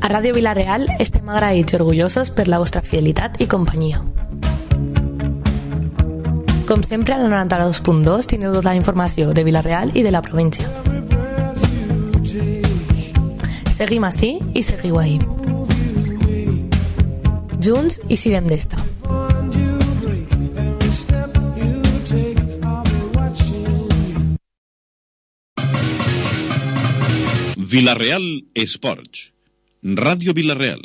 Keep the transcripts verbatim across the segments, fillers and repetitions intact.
A Ràdio Vila-real estem agraïts i orgullosos per la vostra fidelitat i companyia. Com sempre, a la noranta-dos punt dos tindreu tota la informació de Vila-real i de la província. Seguim ací i seguiu ahí. Junts i sirem d'esta. Vila-real Esports. Ràdio Vila-real.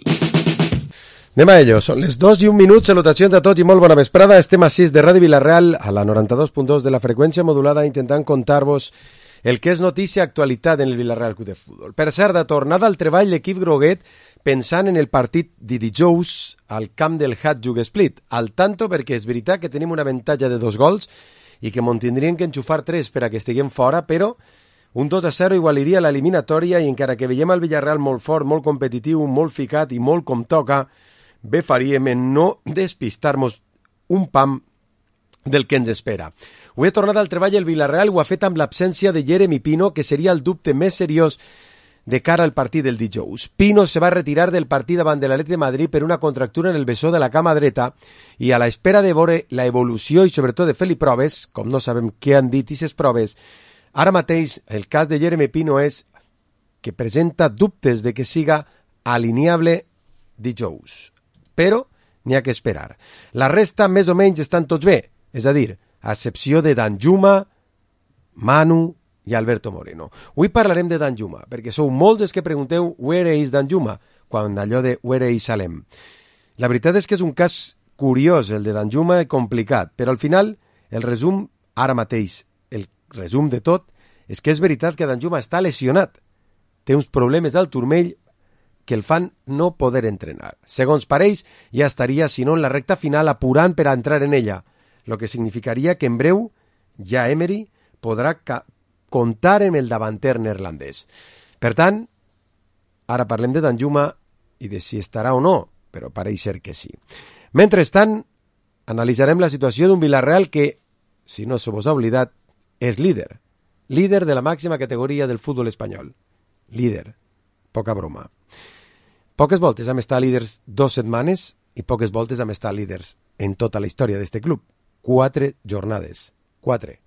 Anem a ello, són les dos i un minut, salutacions a tots i molt bona vesprada. Estem a sis de Ràdio Vila-real, a la noranta-dos punt dos de la freqüència modulada, intentant contar-vos el que és notícia actualitat en el Vila-real Club de Futbol. Per cert, de tornada al treball, l'equip groguet pensant en el partit de dijous al camp del Hat Jug Split. Al tanto, perquè és veritat que tenim un avantatge de dos gols i que m'on tindrien que enxufar tres per a que estiguem fora, però un dos a zero igualiria l'eliminatòria i encara que veiem el Villarreal molt fort, molt competitiu, molt ficat i molt com toca, bé faríem en no despistar-nos un pam del que ens espera. Ho he tornat al treball el Villarreal, ho ha fet amb l'absència de Jeremy Pino, que seria el dubte més seriós de cara al partit del dijous. Pino se va retirar del partit davant de l'Atlètic de Madrid per una contractura en el bessó de la cama dreta i a l'espera de veure la evolució i sobretot de fer-li proves, com no sabem què han dit aquestes proves, ara mateix el cas de Jeremy Pino és que presenta dubtes de que siga alineable dijous. Però n'hi ha que esperar. La resta més o menys estan tots bé, és a dir, a excepció de Danjuma, Manu i Alberto Moreno. Avui parlarem de Danjuma, perquè sou molts els que pregunteu where is Danjuma, quan allò de where is Salem. La veritat és que és un cas curiós, el de Danjuma, i complicat, però al final el resum, ara mateix, el resum de tot, és que és veritat que Danjuma està lesionat. Té uns problemes al turmell que el fan no poder entrenar. Segons pareix, ja estaria, si no en la recta final, apurant per a entrar en ella, lo que significaria que en breu ja Emery podrà ca- comptar amb el davanter neerlandès. Per tant, ara parlem de Danjuma i de si estarà o no, però pareix ser que sí. Mentrestant, analitzarem la situació d'un Villarreal que, si no se vos ha oblidat, és líder. Líder de la màxima categoria del futbol espanyol. Líder. Poca broma. Poques voltes hem estat líders dues setmanes i poques voltes hem estat líders en tota la història d'este club. Quatre jornades. Quatre.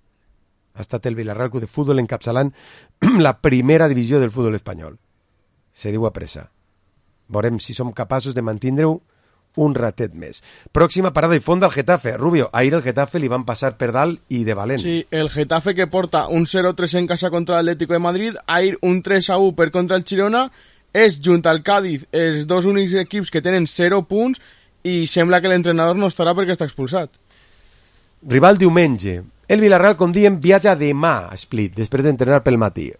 Ha estat el Villarreal Club de Futbol encapçalant la primera divisió del futbol espanyol. Se diu a pressa. Veurem si som capaços de mantindre-ho un ratet més. Pròxima parada i fons del Getafe. Rubio, ahir el Getafe li van passar per dalt i de valent. Sí, el Getafe que porta un cero tres en casa contra l'Atlético de Madrid, ahir un tres a u per contra el Girona, és junt al Cádiz els dos únics equips que tenen zero punts i sembla que l'entrenador no estarà perquè està expulsat. Rival diumenge. El Villarreal, com diem, viatja demà a Split, després d'entrenar pel matí.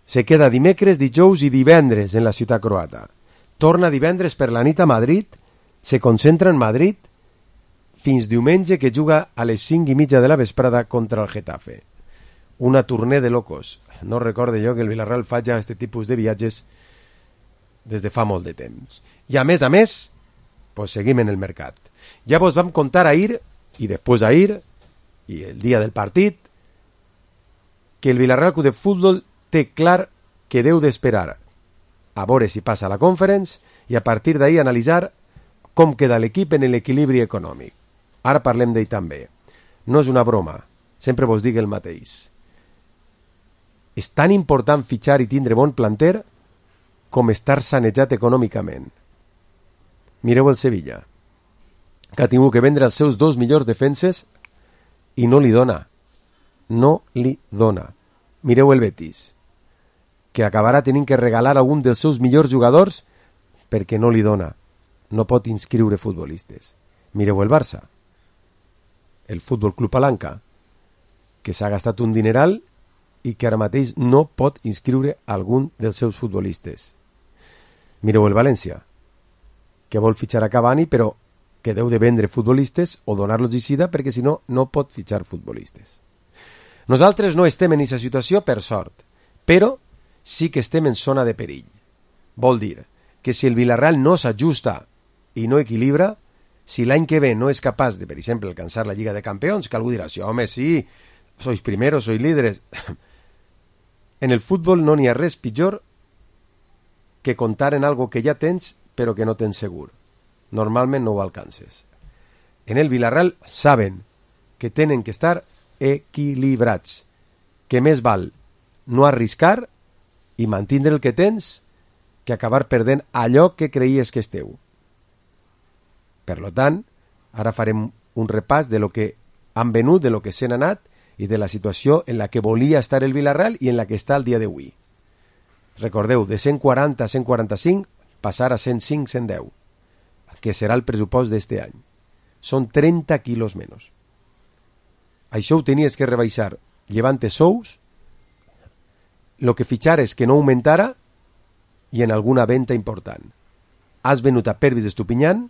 Se queda dimecres, dijous i divendres en la ciutat croata. Torna divendres per la nit a Madrid, se concentra en Madrid fins diumenge que juga a les cinc i mitja de la vesprada contra el Getafe. Una tournée de locos. No recorde jo que el Villarreal fa ja aquest tipus de viatges des de fa molt de temps. I a més a més, pues seguim en el mercat. Ja vos vam contar ahir, i després ahir, i el dia del partit, que el Villarreal Club de Futbol té clar que deu d'esperar a veure si passa la Conference i a partir d'ahir analitzar com queda l'equip en l'equilibri econòmic. Ara parlem d'ell també. No és una broma, sempre vos dic el mateix. És tan important fitxar i tindre bon planter com estar sanejat econòmicament. Mireu el Sevilla, que ha tingut que vendre els seus dos millors defenses i no li dona. No li dona. Mireu el Betis, que acabarà tenint que regalar algun dels seus millors jugadors perquè no li dona. No pot inscriure futbolistes. Mireu el Barça, el Futbol Club Palanca, que s'ha gastat un dineral i que ara mateix no pot inscriure algun dels seus futbolistes. Mireu el València, que vol fitxar a Cavani però que deu de vendre futbolistes o donar-los d'Icida perquè si no, no pot fitxar futbolistes. Nosaltres no estem en aquesta situació per sort, però sí que estem en zona de perill. Vol dir que si el Villarreal no s'ajusta i no equilibra, si l'any que ve no és capaç de, per exemple, alcançar la Lliga de Campeons, que algú dirà, sí, home, sí, sois primeros, sois líderes. En el futbol no n'hi ha res pitjor que contar en algo que ja tens però que no tens segur. Normalment no ho alcances. En el Villarreal saben que tenen que estar equilibrats, que més val no arriscar i mantindre el que tens que acabar perdent allò que creies que és teu. Per lo tant, ara farem un repàs de lo que han venut, de lo que s'han anat i de la situació en la que volia estar el Villarreal i en la que està el dia d'avui. Recordeu, de cent quaranta a cent quaranta-cinc passar a cent cinc a cent deu, que serà el pressupost d'este any. Són trenta quilos menys. Això ho tenies que rebaixar llevant-te sous, lo que fitxares que no augmentara i en alguna venda important. Has venut a Pervis d'Estupinyán,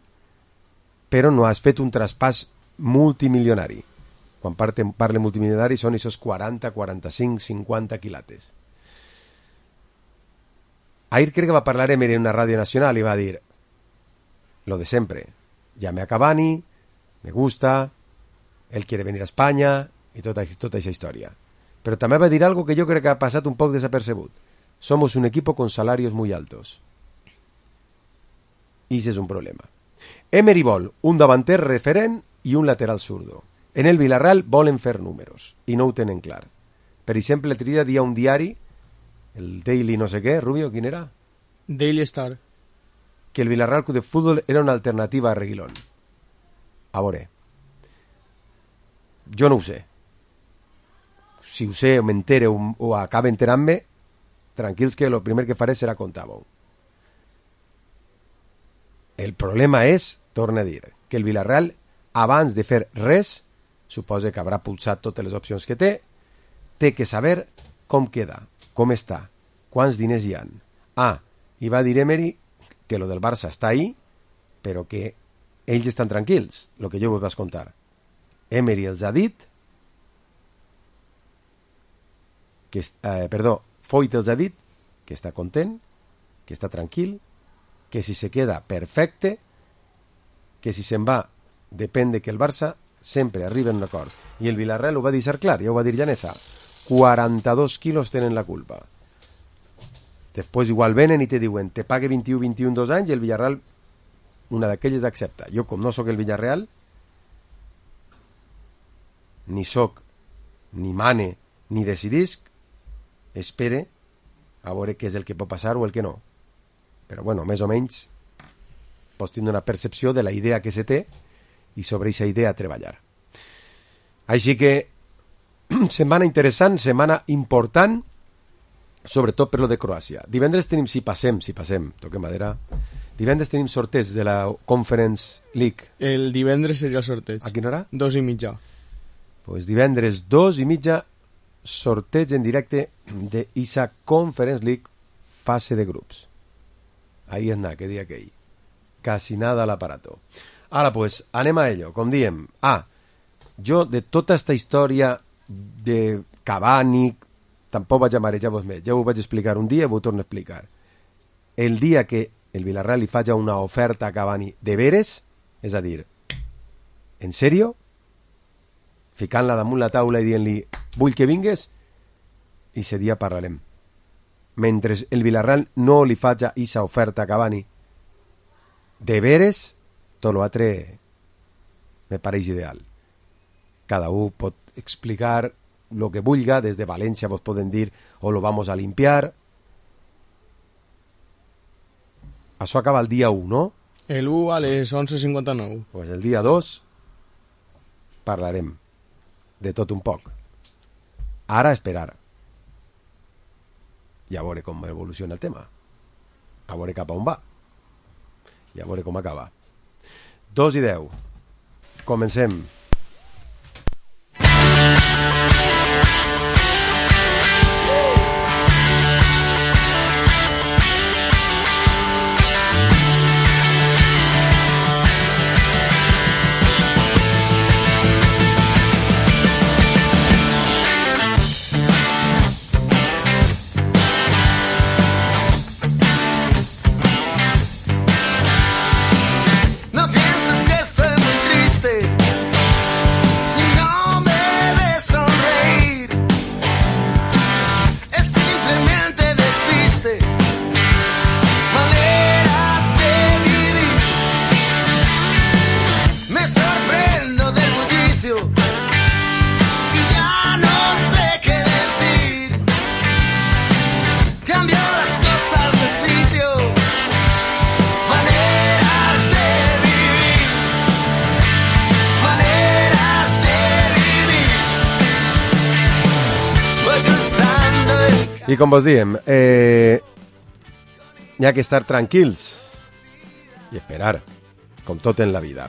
però no has fet un traspàs multimilionari. Quan parle multimilionari són aquests quaranta, quaranta-cinc, cinquanta quilates. Ahir crec que va parlar Emery en una ràdio nacional i va dir lo de sempre. Llame a Cavani, me gusta, él quiere venir a España i tota, tota aquesta història. Però també va dir algo que jo crec que ha passat un poc desapercebut. Somos un equipo con salarios muy altos. I ese és un problema. Emery vol un davanter referent i un lateral zurdo. En el Villarreal volen fer números i no ho tenen clar. Per exemple, l'altre dia dia un diari, el Daily no sé què, Rubio, quin era? Daily Star. Que el Villarreal Club de Fútbol era una alternativa a Reguilón. A veure, jo no ho sé. Si ho sé o m'entere o, o acaba enterant-me, tranquils que el primer que faré serà contar-ho. El problema és, torna a dir, que el Villarreal, abans de fer res, suposa que haurà pulsat totes les opcions que té, té que saber com queda, com està, quants diners hi ha. Ah, i va dir Emery que lo del Barça està ahí, però que ells estan tranquils, el que jo vos vaig contar. Emery els ha dit que, eh, perdó, Foyt els ha dit que està content, que està tranquil, que si se queda perfecte, que si se'n va depèn de que el Barça sempre arriba en un acord. I el Villarreal ho va deixar clar, ja ho va dir Llaneza, quaranta-dos quilos tenen la culpa. Després igual venen i te diuen te pague vint-i-u vint-i-un dos anys i el Villarreal una d'aquelles accepta. Jo com no sóc el Villarreal, ni sóc, ni mane, ni decidisc, espere a veure què és el que pot passar o el que no. Però bueno, més o menys pots tindre una percepció de la idea que se té i sobre aquesta idea treballar. Així que setmana interessant, setmana important, sobretot per lo de Croàcia. Divendres tenim, si passem, si passem, toquem madera, divendres tenim sorteig de la Conference League. El divendres seria el sorteig. A quina hora? Dos i mitja. Pues divendres dos i mitja, sorteig en directe de Isa Conference League fase de grups. Ahí és nada, que dia aquell. Casi nada al aparato. Ara, pues, anem a ello, com diem. Ah, jo de tota esta història de Cavani, tampoc vaig a marejar-vos més. Ja ho vaig explicar un dia i ho torno a explicar. El dia que el Villarreal li faci una oferta a Cavani de veres, és a dir, en sèrio, ficant-la damunt la taula i dient-li vull que vingues, i ese dia parlarem. Mentre el Villarreal no li faci aquesta oferta a Cavani de veres, tot l'altre me pareix ideal. Cada un pot explicar lo que vulga, des de València vos poden dir o lo vamos a limpiar. Això acaba el dia u, no? El u a les onze cinquanta-nou. Pues el dia dos parlarem de tot un poc. Ara esperar. I a veure com evoluciona el tema. A veure cap a on va. I a veure com acaba. Dos i deu. Comencem. Si no me ves sonreír I com vos diem, eh, hi ha que estar tranquils i esperar, com tot en la vida.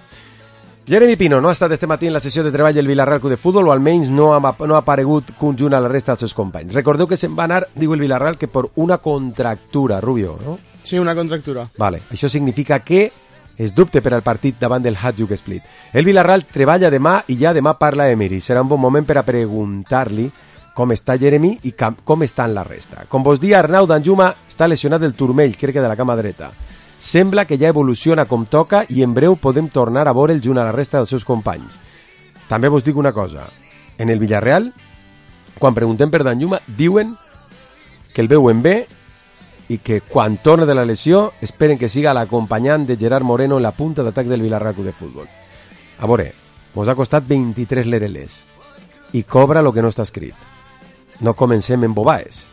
Jeremy Pino no ha estat este matí en la sessió de treball del Vilarreal Club de Futbol, o almenys no ha, no ha aparegut conjunt a la resta dels seus companys. Recordeu que se'n va anar, diu el Vilarreal, que per una contractura, Rubio, no? Sí, una contractura. Vale, això significa que es dubte per al partit davant del Hajduk Split. El Vilarreal treballa demà i ja demà parla Emery. Serà un bon moment per a preguntar-li com està Jeremy i com està en la resta. Com vos dia, Arnau Danjuma està lesionat del turmell, crec que de la cama dreta. Sembla que ja evoluciona com toca i en breu podem tornar a veure'l junt a la resta dels seus companys. També vos dic una cosa. En el Villarreal, quan preguntem per Danjuma, diuen que el veuen bé i que quan torna de la lesió esperen que siga l'acompanyant de Gerard Moreno en la punta d'atac del Vilarreal Club de Futbol. A veure, mos ha costat vint-i-tres lereles i cobra lo que no està escrit. No comencem en bobaes.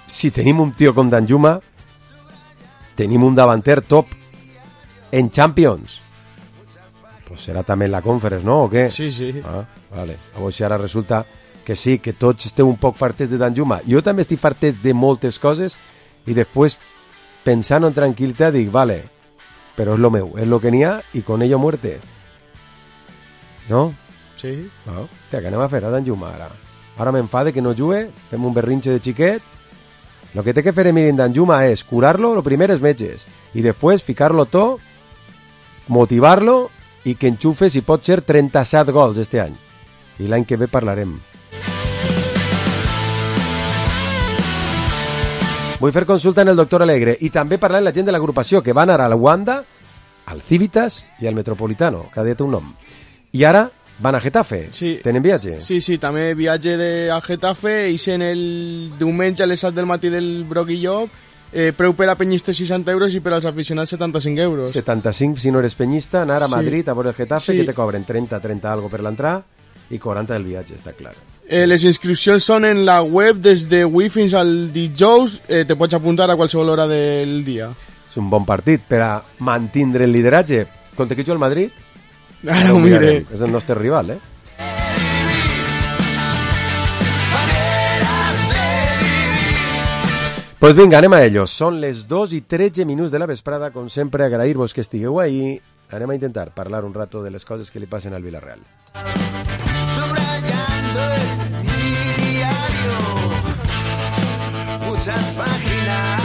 Si tenim un tio com Danjuma, tenim un davanter top en Champions. Pues serà també en la Conference, no? O què? Sí, sí. Ah, vale. A veure si ara resulta que sí, que tots esteu un poc fartets de Danjuma. Jo també estic fartet de moltes coses i després, pensant en tranquil·litat, dic, vale, però és lo meu, és lo que n'hi ha i con ello muerte. No? Sí. Ah, tia, què anem a fer a Danjuma ara? Ara m'enfade que no jugue, fem un berrinxe de xiquet. Lo que té que fer Emiri en Danjuma és curar-lo, lo primer és metges, i després ficar-lo tot, motivar-lo i que enxufe, si pot ser, trenta-set gols este any. I l'any que ve parlarem. Vull fer consulta en el doctor Alegre i també parlar amb la gent de l'agrupació que va anar al Wanda, al Civitas i al Metropolitano, cada dia té un nom. I ara van a Getafe. Sí. Tenen viatge? Sí, sí, també viatge de, a Getafe, i sent el diumenge a les set del matí del Broc i Llop, eh, preu per a penyistes seixanta euros i per als aficionats setanta-cinc euros. setanta-cinc si no eres penyista, anar a Madrid sí. a veure el Getafe, sí. que te cobren trenta, trenta algo per l'entrar i quaranta del viatge, està clar. Eh, les inscripcions són en la web des de avui fins al dijous, eh, te pots apuntar a qualsevol hora del dia. És un bon partit per a mantindre el lideratge. Contra qui juga el Madrid? Ara ho miré. És el nostre rival, eh? Pues vinga, anem a ellos. Són les dos i tretze minuts de la vesprada. Com sempre, agrair-vos que estigueu ahí. Anem a intentar parlar un rato de les coses que li passen al Villarreal. Subrayando en mi diario muchas páginas.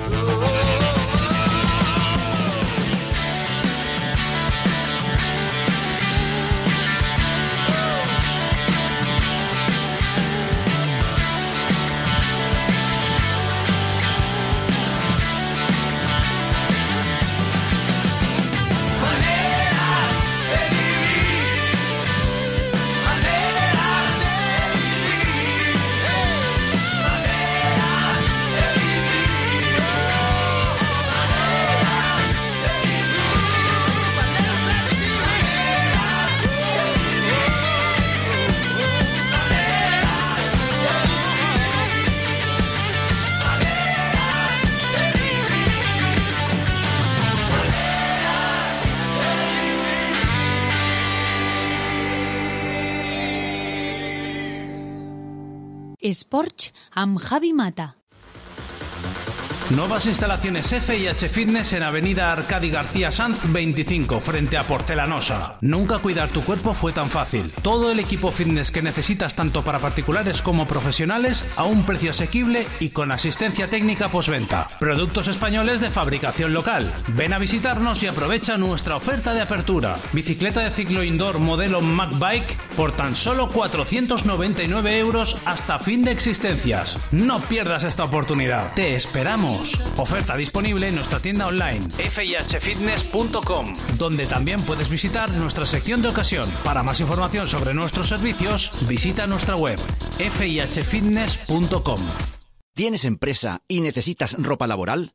Oh. Sports amb Javi Mata. Nuevas instalaciones F y H Fitness en Avenida Arcadi García Sanz veinticinco, frente a Porcelanosa. Nunca cuidar tu cuerpo fue tan fácil. Todo el equipo fitness que necesitas tanto para particulares como profesionales a un precio asequible y con asistencia técnica postventa. Productos españoles de fabricación local. Ven a visitarnos y aprovecha nuestra oferta de apertura. Bicicleta de ciclo indoor modelo MacBike por tan solo cuatrocientos noventa y nueve euros hasta fin de existencias. No pierdas esta oportunidad. Te esperamos. Oferta disponible en nuestra tienda online f i h fitness punto com, donde también puedes visitar nuestra sección de ocasión. Para más información sobre nuestros servicios, visita nuestra web f i h fitness punto com. ¿Tienes empresa y necesitas ropa laboral?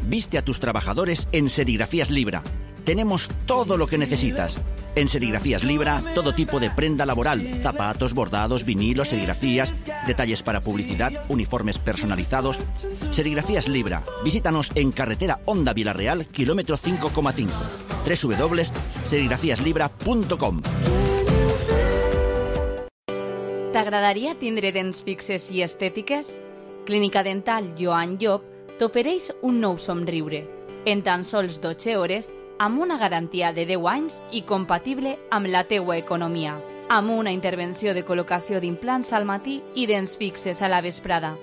Viste a tus trabajadores en Serigrafías Libra. Tenemos todo lo que necesitas. En Serigrafías Libra, todo tipo de prenda laboral, zapatos, bordados, vinilos, serigrafías, detalles para publicidad, uniformes personalizados. Serigrafías Libra. Visítanos en carretera Honda Villarreal, kilómetro cinco coma cinco. doble u doble u doble u punto serigrafías libra punto com. T'agradaria tindre dents fixes i estètiques? Clínica Dental Joan Llop t'ofereix un nou somriure, en tan sols dotze hores, amb una garantia de deu anys i compatible amb la teua economia, amb una intervenció de col·locació d'implants al matí i dents fixes a la vesprada.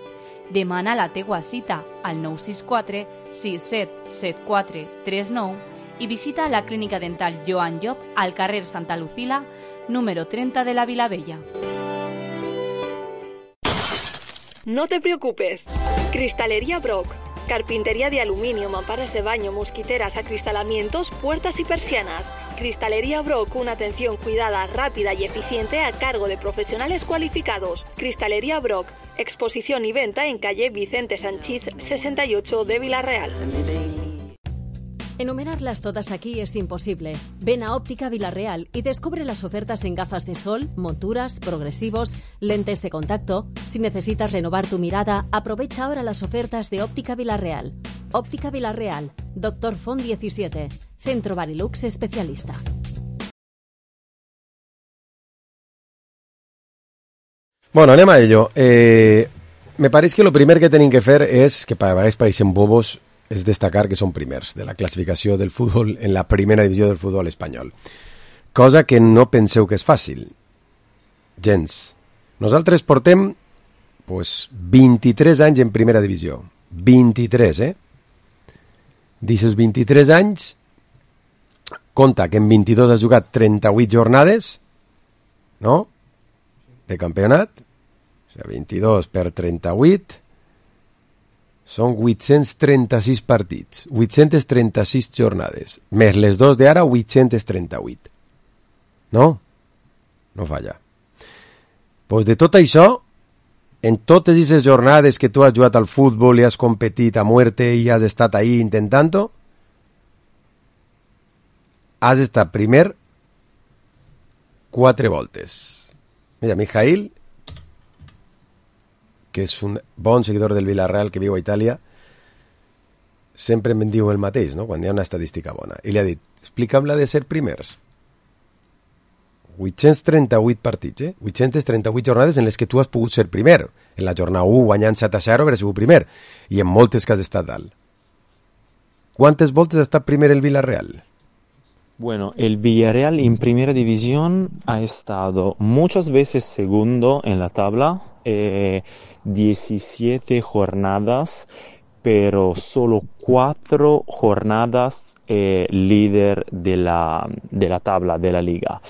Demana la teua cita al nou sis quatre sis set set quatre tres nou i visita la Clínica Dental Joan Llop al carrer Santa Lucila, número treinta de la Vilavella. No te preocupes. Cristalería Brock. Carpintería de aluminio, mamparas de baño, mosquiteras, acristalamientos, puertas y persianas. Cristalería Brock, una atención cuidada, rápida y eficiente a cargo de profesionales cualificados. Cristalería Brock, exposición y venta en calle Vicente Sanchís sesenta y ocho de Villarreal. Enumerarlas todas aquí es imposible. Ven a Óptica Villarreal y descubre las ofertas en gafas de sol, monturas, progresivos, lentes de contacto. Si necesitas renovar tu mirada, aprovecha ahora las ofertas de Óptica Villarreal. Óptica Villarreal, Doctor Font diecisiete, Centro Barilux especialista. Bueno, anem a ello. Eh, me pareix que lo primer que tenim que fer és, que a vegades pareixen bobos, és destacar que són primers de la classificació del futbol en la primera divisió del futbol espanyol. Cosa que no penseu que és fàcil. Gens. Nosaltres portem pues, vint-i-tres anys en primera divisió. vint-i-tres, eh? D'aquests vint-i-tres anys, compta que en vint-i-dos has jugat trenta-vuit jornades, no?, de campionat. O sigui, vint-i-dos per trenta-vuit... són vuit-cents trenta-sis partits, vuit-cents trenta-sis jornades, més les dos d'ara, vuit-cents trenta-vuit. No? No falla. Pues de tot això, en totes aquestes jornades que tu has jugat al futbol i has competit a muerte i has estat ahí intentant-ho, has estat primer quatre voltes. Mira, Mijail, que és un bon seguidor del Villarreal que viu a Itàlia, sempre em diu el mateix, no?, quan hi ha una estadística bona. I li ha dit, explica'm la de ser primers. vuit-cents trenta-vuit partits, eh? vuit-cents trenta-vuit jornades en les que tu has pogut ser primer. En la jornada u, guanyant set a zero, hauràs sigut primer. I en moltes que has estat dalt. ¿Cuántas voltes ha estat primer el Villarreal? Bueno, el Villarreal en primera división ha estado muchas veces segundo en la tabla, eh, diecisiete jornadas, pero solo cuatro jornadas eh, líder de la, de la tabla de la liga.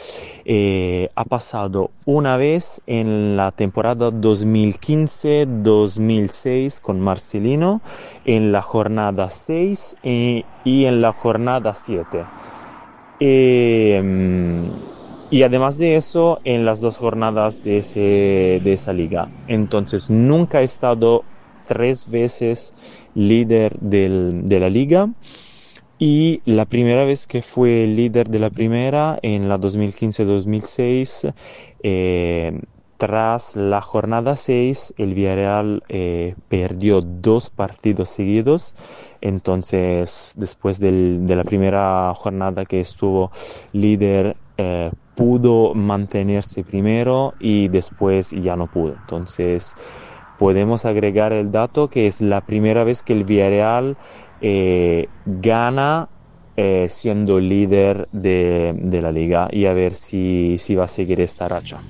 Eh, ha pasado una vez en la temporada dos mil quince dos mil seis con Marcelino, en la jornada seis y, y en la jornada siete. Eh, y además de eso, en las dos jornadas de, ese, de esa liga. Entonces, nunca he estado tres veces líder del, de la liga. Y la primera vez que fue líder de la primera, en la dos mil quince dos mil seis, eh, tras la jornada seis, el Villarreal eh, perdió dos partidos seguidos. Entonces, después del, de la primera jornada que estuvo líder, eh, pudo mantenerse primero y después ya no pudo. Entonces, podemos agregar el dato que es la primera vez que el Villarreal eh, gana eh, siendo líder de, de la liga, y a ver si, si va a seguir esta racha.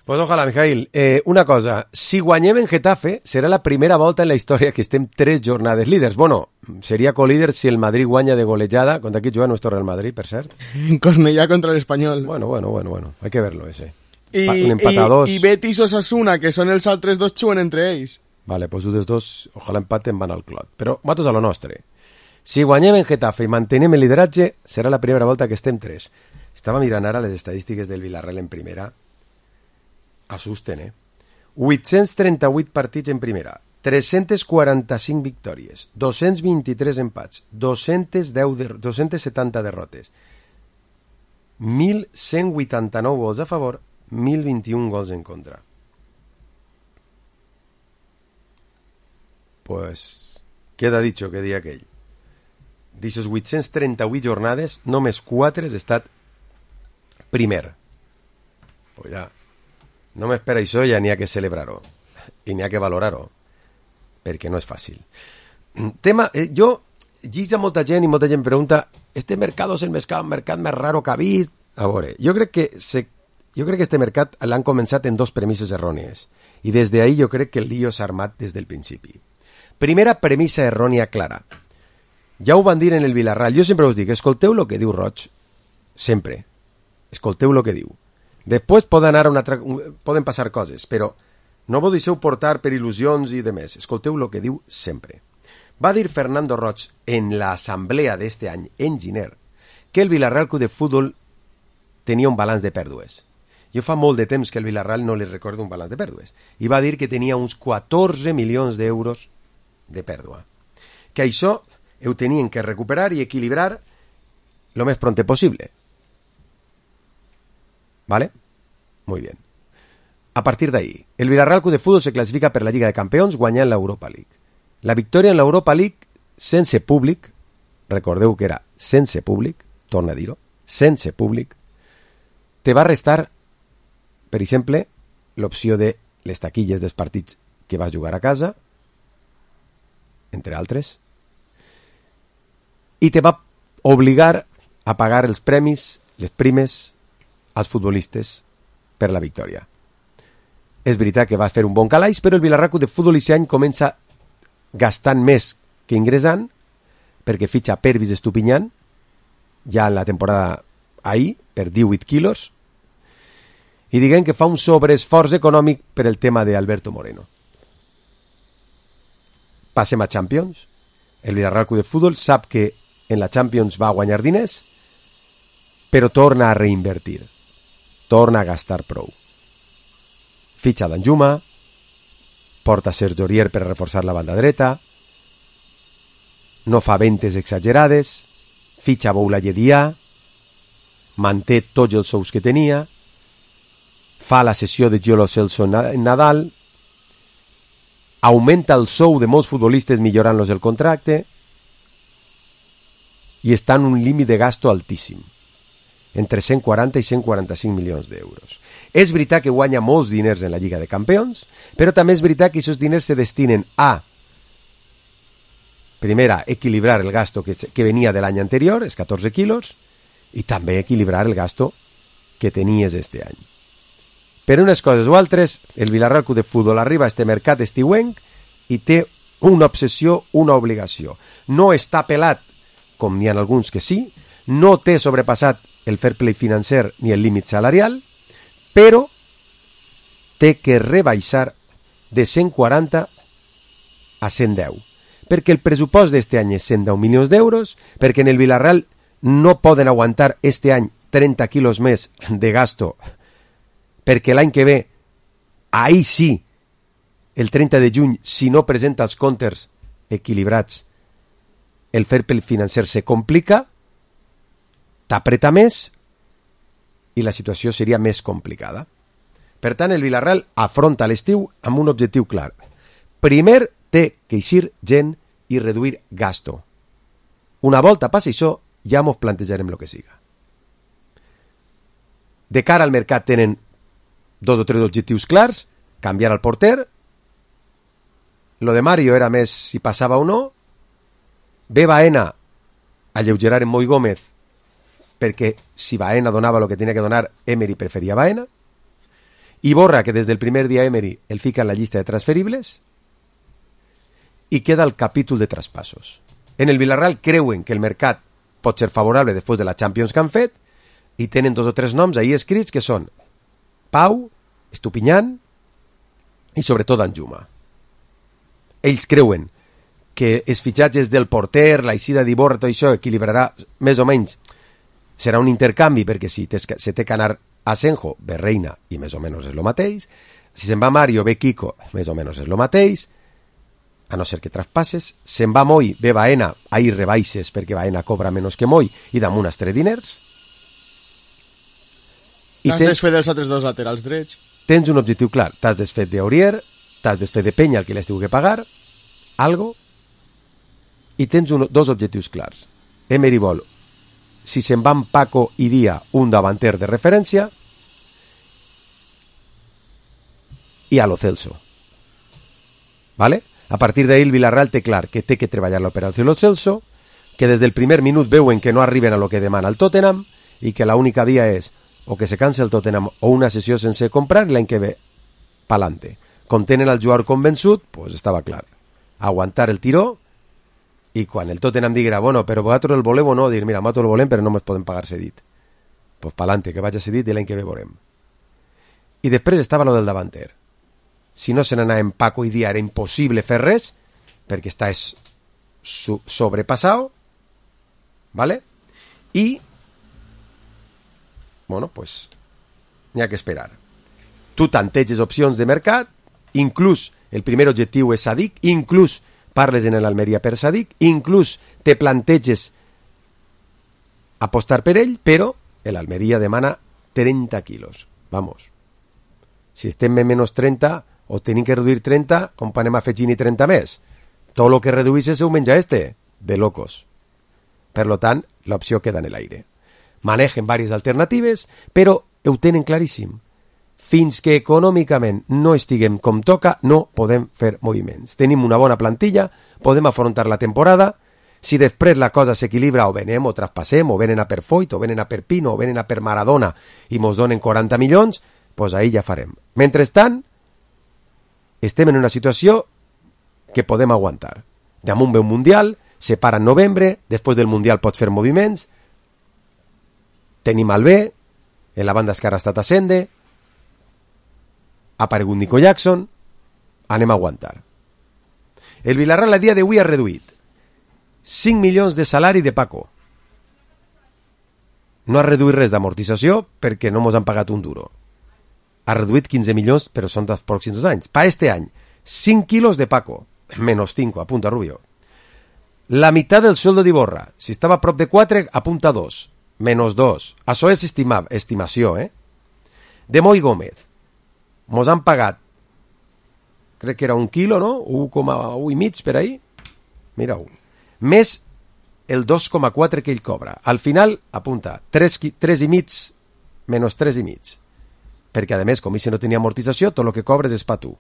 Pues ojalà, Mijail. Eh, una cosa, si guanyem en Getafe, serà la primera volta en la història que estem tres jornades líders. Bueno, seria colíder si el Madrid guanya de golejada. Contra qui juga nuestro Real Madrid, per cert? En Cornellà contra el Espanyol. Bueno, bueno, bueno, bueno. Hay que verlo, ese. I, un empat a dos. I, i Betis o Osasuna, que són els altres dos, juguen entre ells. Vale, pues els dos, ojalà empaten, van al clot. Però nosaltres a lo nostre. Si guanyem en Getafe i mantenem el lideratge, serà la primera volta que estem tres. Estava mirant ara les estadístiques del Villarreal en primera. Assusten, eh? vuit-cents trenta-vuit partits en primera, tres-cents quaranta-cinc victòries, dos-cents vint-i-tres empats, dos-cents deu de, dos-cents setanta derrotes, mil cent vuitanta-nou gols a favor, mil vint-i-un gols en contra. Pues queda dicho que dia aquell. D'aixòs vuit-cents trenta-vuit jornades, només quatre has estat primer. Pues ja... només per això ja n'hi ha que celebrar-ho i n'hi ha que valorar-ho, perquè no és fàcil. Tema, eh, jo lligo a molta gent i molta gent pregunta, este mercat és el mercat, mercat més raro que ha vist? A veure, jo crec que se, jo crec que este mercat l'han començat en dos premisses errònies i des d'ahí jo crec que el lío s'ha armat des del principi. Primera premissa errònia clara. Ja ho van dir en el Vilarral. Jo sempre us dic, escolteu el que diu Roig. Sempre. Escolteu el que diu. Després poden, anar una altra, poden passar coses, però no vos deixeu portar per il·lusions i demés. Escolteu el que diu sempre. Va dir Fernando Roig en l'assemblea d'este any en Giner que el Vilarral Club de Futbol tenia un balanç de pèrdues. Jo fa molt de temps que el Vilarral no li recordo un balanç de pèrdues. I va dir que tenia uns catorze milions d'euros de pèrdua. Que això ho tenien que recuperar i equilibrar lo més pronto possible. ¿Vale? Muy bien. A partir de ahí, el Villarreal Club de Fútbol se clasifica per la Lliga de Campions guanyant l'Europa League. La victòria en l'Europa League sense públic, recordeu que era sense públic, torna a dir-ho, sense públic, te va restar, per exemple, l'opció de les taquilles dels partits que vas jugar a casa, entre altres, i te va obligar a pagar els premis, les primes, als futbolistes per la victòria. És veritat que va fer un bon calaix, però el Villarreal Club de Futbol aquest any comença gastant més que ingressant, perquè fitxa Pervis Estupinyan, ja en la temporada ahir, per divuit quilos, i diguem que fa un sobreesforç econòmic per el tema d'Alberto Moreno. Passem a Champions. El Villarreal Club de Futbol sap que en la Champions va guanyar diners, però torna a reinvertir. Torna a gastar prou. Fitxa Danjuma, porta Sergio Aurier per reforçar la banda dreta, no fa ventes exagerades, fitxa Boulaye Dia, manté tots els sous que tenia, fa la sessió de Giolo Celso en Nadal, augmenta el sou de molts futbolistes millorant-los el contracte i està en un límit de gasto altíssim, entre cent quaranta i cent quaranta-cinc milions d'euros. És veritat que guanya molts diners en la Lliga de Campions, però també és veritat que aquests diners se destinen a, primera, equilibrar el gasto que, que venia de l'any anterior, els catorze quilos, i també equilibrar el gasto que tenies este any. Per unes coses o altres, el Villarreal Club de Futbol arriba a este mercat estiuenc i té una obsessió, una obligació. No està pelat, com n'hi ha alguns que sí, no té sobrepassat el fair play financer ni el límit salarial, però té que rebaixar de cent quaranta a cent deu, perquè el pressupost d'este any és cent deu milions d'euros, perquè en el Villarreal no poden aguantar este any trenta quilos més de gasto, perquè l'any que ve, ahí sí, el trenta de juny, si no presenta els comptes equilibrats, el fair play financer se complica, t'apreta més i la situació seria més complicada. Per tant, el Villarreal afronta l'estiu amb un objectiu clar. Primer, té que eixir gent i reduir gasto. Una volta passi això, ja mos plantejarem el que siga. De cara al mercat tenen dos o tres objectius clars, canviar el porter, lo de Mario era més si passava o no, ve Baena alleugerar en Moi Gómez, perquè si Baena donava el que tenia que donar, Emery preferia Baena, i Borra, que des del primer dia Emery el fica en la llista de transferibles, i queda el capítol de traspassos. En el Villarreal creuen que el mercat pot ser favorable després de la Champions que han fet, i tenen dos o tres noms ahí escrits que són Pau, Estupinyan i sobretot Danjuma. Ells creuen que els fitxatges del porter, la eixida d'Iborra, tot això equilibrarà més o menys. Serà un intercanvi, perquè si se té que anar a Senjo, ve Reina, i més o menys és el mateix. Si se'n va Mario, ve Kiko, més o menys és el mateix. A no ser que traspasses. Se'n va Moi, ve Baena, ahir rebaixes perquè Baena cobra menys que Moi i damunt els tres diners. T'has tens... desfet dels altres dos laterals drets. Tens un objectiu clar. T'has desfet d'Aurier, t'has desfet de Peña, el que les tinc que pagar, algo, i tens un, dos objectius clars. Emery vol, si se'n van Paco i Dia, un davanter de referència, i a lo Celso. ¿Vale? A partir d'ahir el Villarreal té clar que té que treballar l'operació lo Celso, que des del primer minut veuen que no arriben a lo que demana el Tottenham i que l'única via és o que se canse el Tottenham o una sessió sense comprar i l'any que ve pa'lante. Com tenen el jugador convençut, pues estava clar. Aguantar el tiró i quan el Tottenham diguera, bueno, però vosaltres el voleu o no, dir, mira, nosaltres el volem però no ens podem pagar cedit. Pues pa'lante, que vaig a cedit i l'any que ve veurem. I després estava lo del davanter. Si no se n'anava en Paco i Dia era impossible fer res perquè estàs sobrepassat, ¿vale? I bueno, pues n'hi ha que esperar. Tu tanteges opcions de mercat, inclús el primer objectiu és Sadik, inclús parles en l'Almeria per Sadik, inclús te planteges apostar per ell, però l'Almeria demana trenta quilos. Vamos. Si estem en menys trenta o tenim que reduir trenta, com anem afegint i trenta més? Tot el que reduïssis ho menja este, de locos. Per lo tant, l'opció queda en l'aire. Manegen diverses alternatives, però ho tenen claríssim. Fins que econòmicament no estiguem com toca, no podem fer moviments. Tenim una bona plantilla, podem afrontar la temporada. Si després la cosa s'equilibra, o venem o traspassem, o venen a per Foyt, o venen a per Pino, o venen a per Maradona i mos donen quaranta milions, doncs ahir ja farem. Mentrestant, estem en una situació que podem aguantar. Damunt ve un Mundial, se para en novembre, després del Mundial pots fer moviments, tenim el B, en la banda esquerra ha estat Ascende, ha aparegut Nico Jackson, anem a aguantar. El Villarreal a dia d'avui ha reduït cinc milions de salari de Paco. No ha reduït res d'amortització perquè no mos han pagat un duro. Ha reduït quinze milions, però són dels pròxims dos anys. Pa este any, cinc quilos de Paco, menos cinc, apunta Rubio. La meitat del sueldo d'Iborra, si estava a prop de quatre, apunta dos, menos dos. Això és estima, estimació, eh? De Moi Gómez, mos han pagat, crec que era un quilo, no? un coma u i mig per ahí. Mira, un. Més el dos coma quatre que ell cobra. Al final, apunta, tres, tres i mig, menys tres i mig. Perquè, a més, com si no tenia amortització, tot el que cobres és pa tu.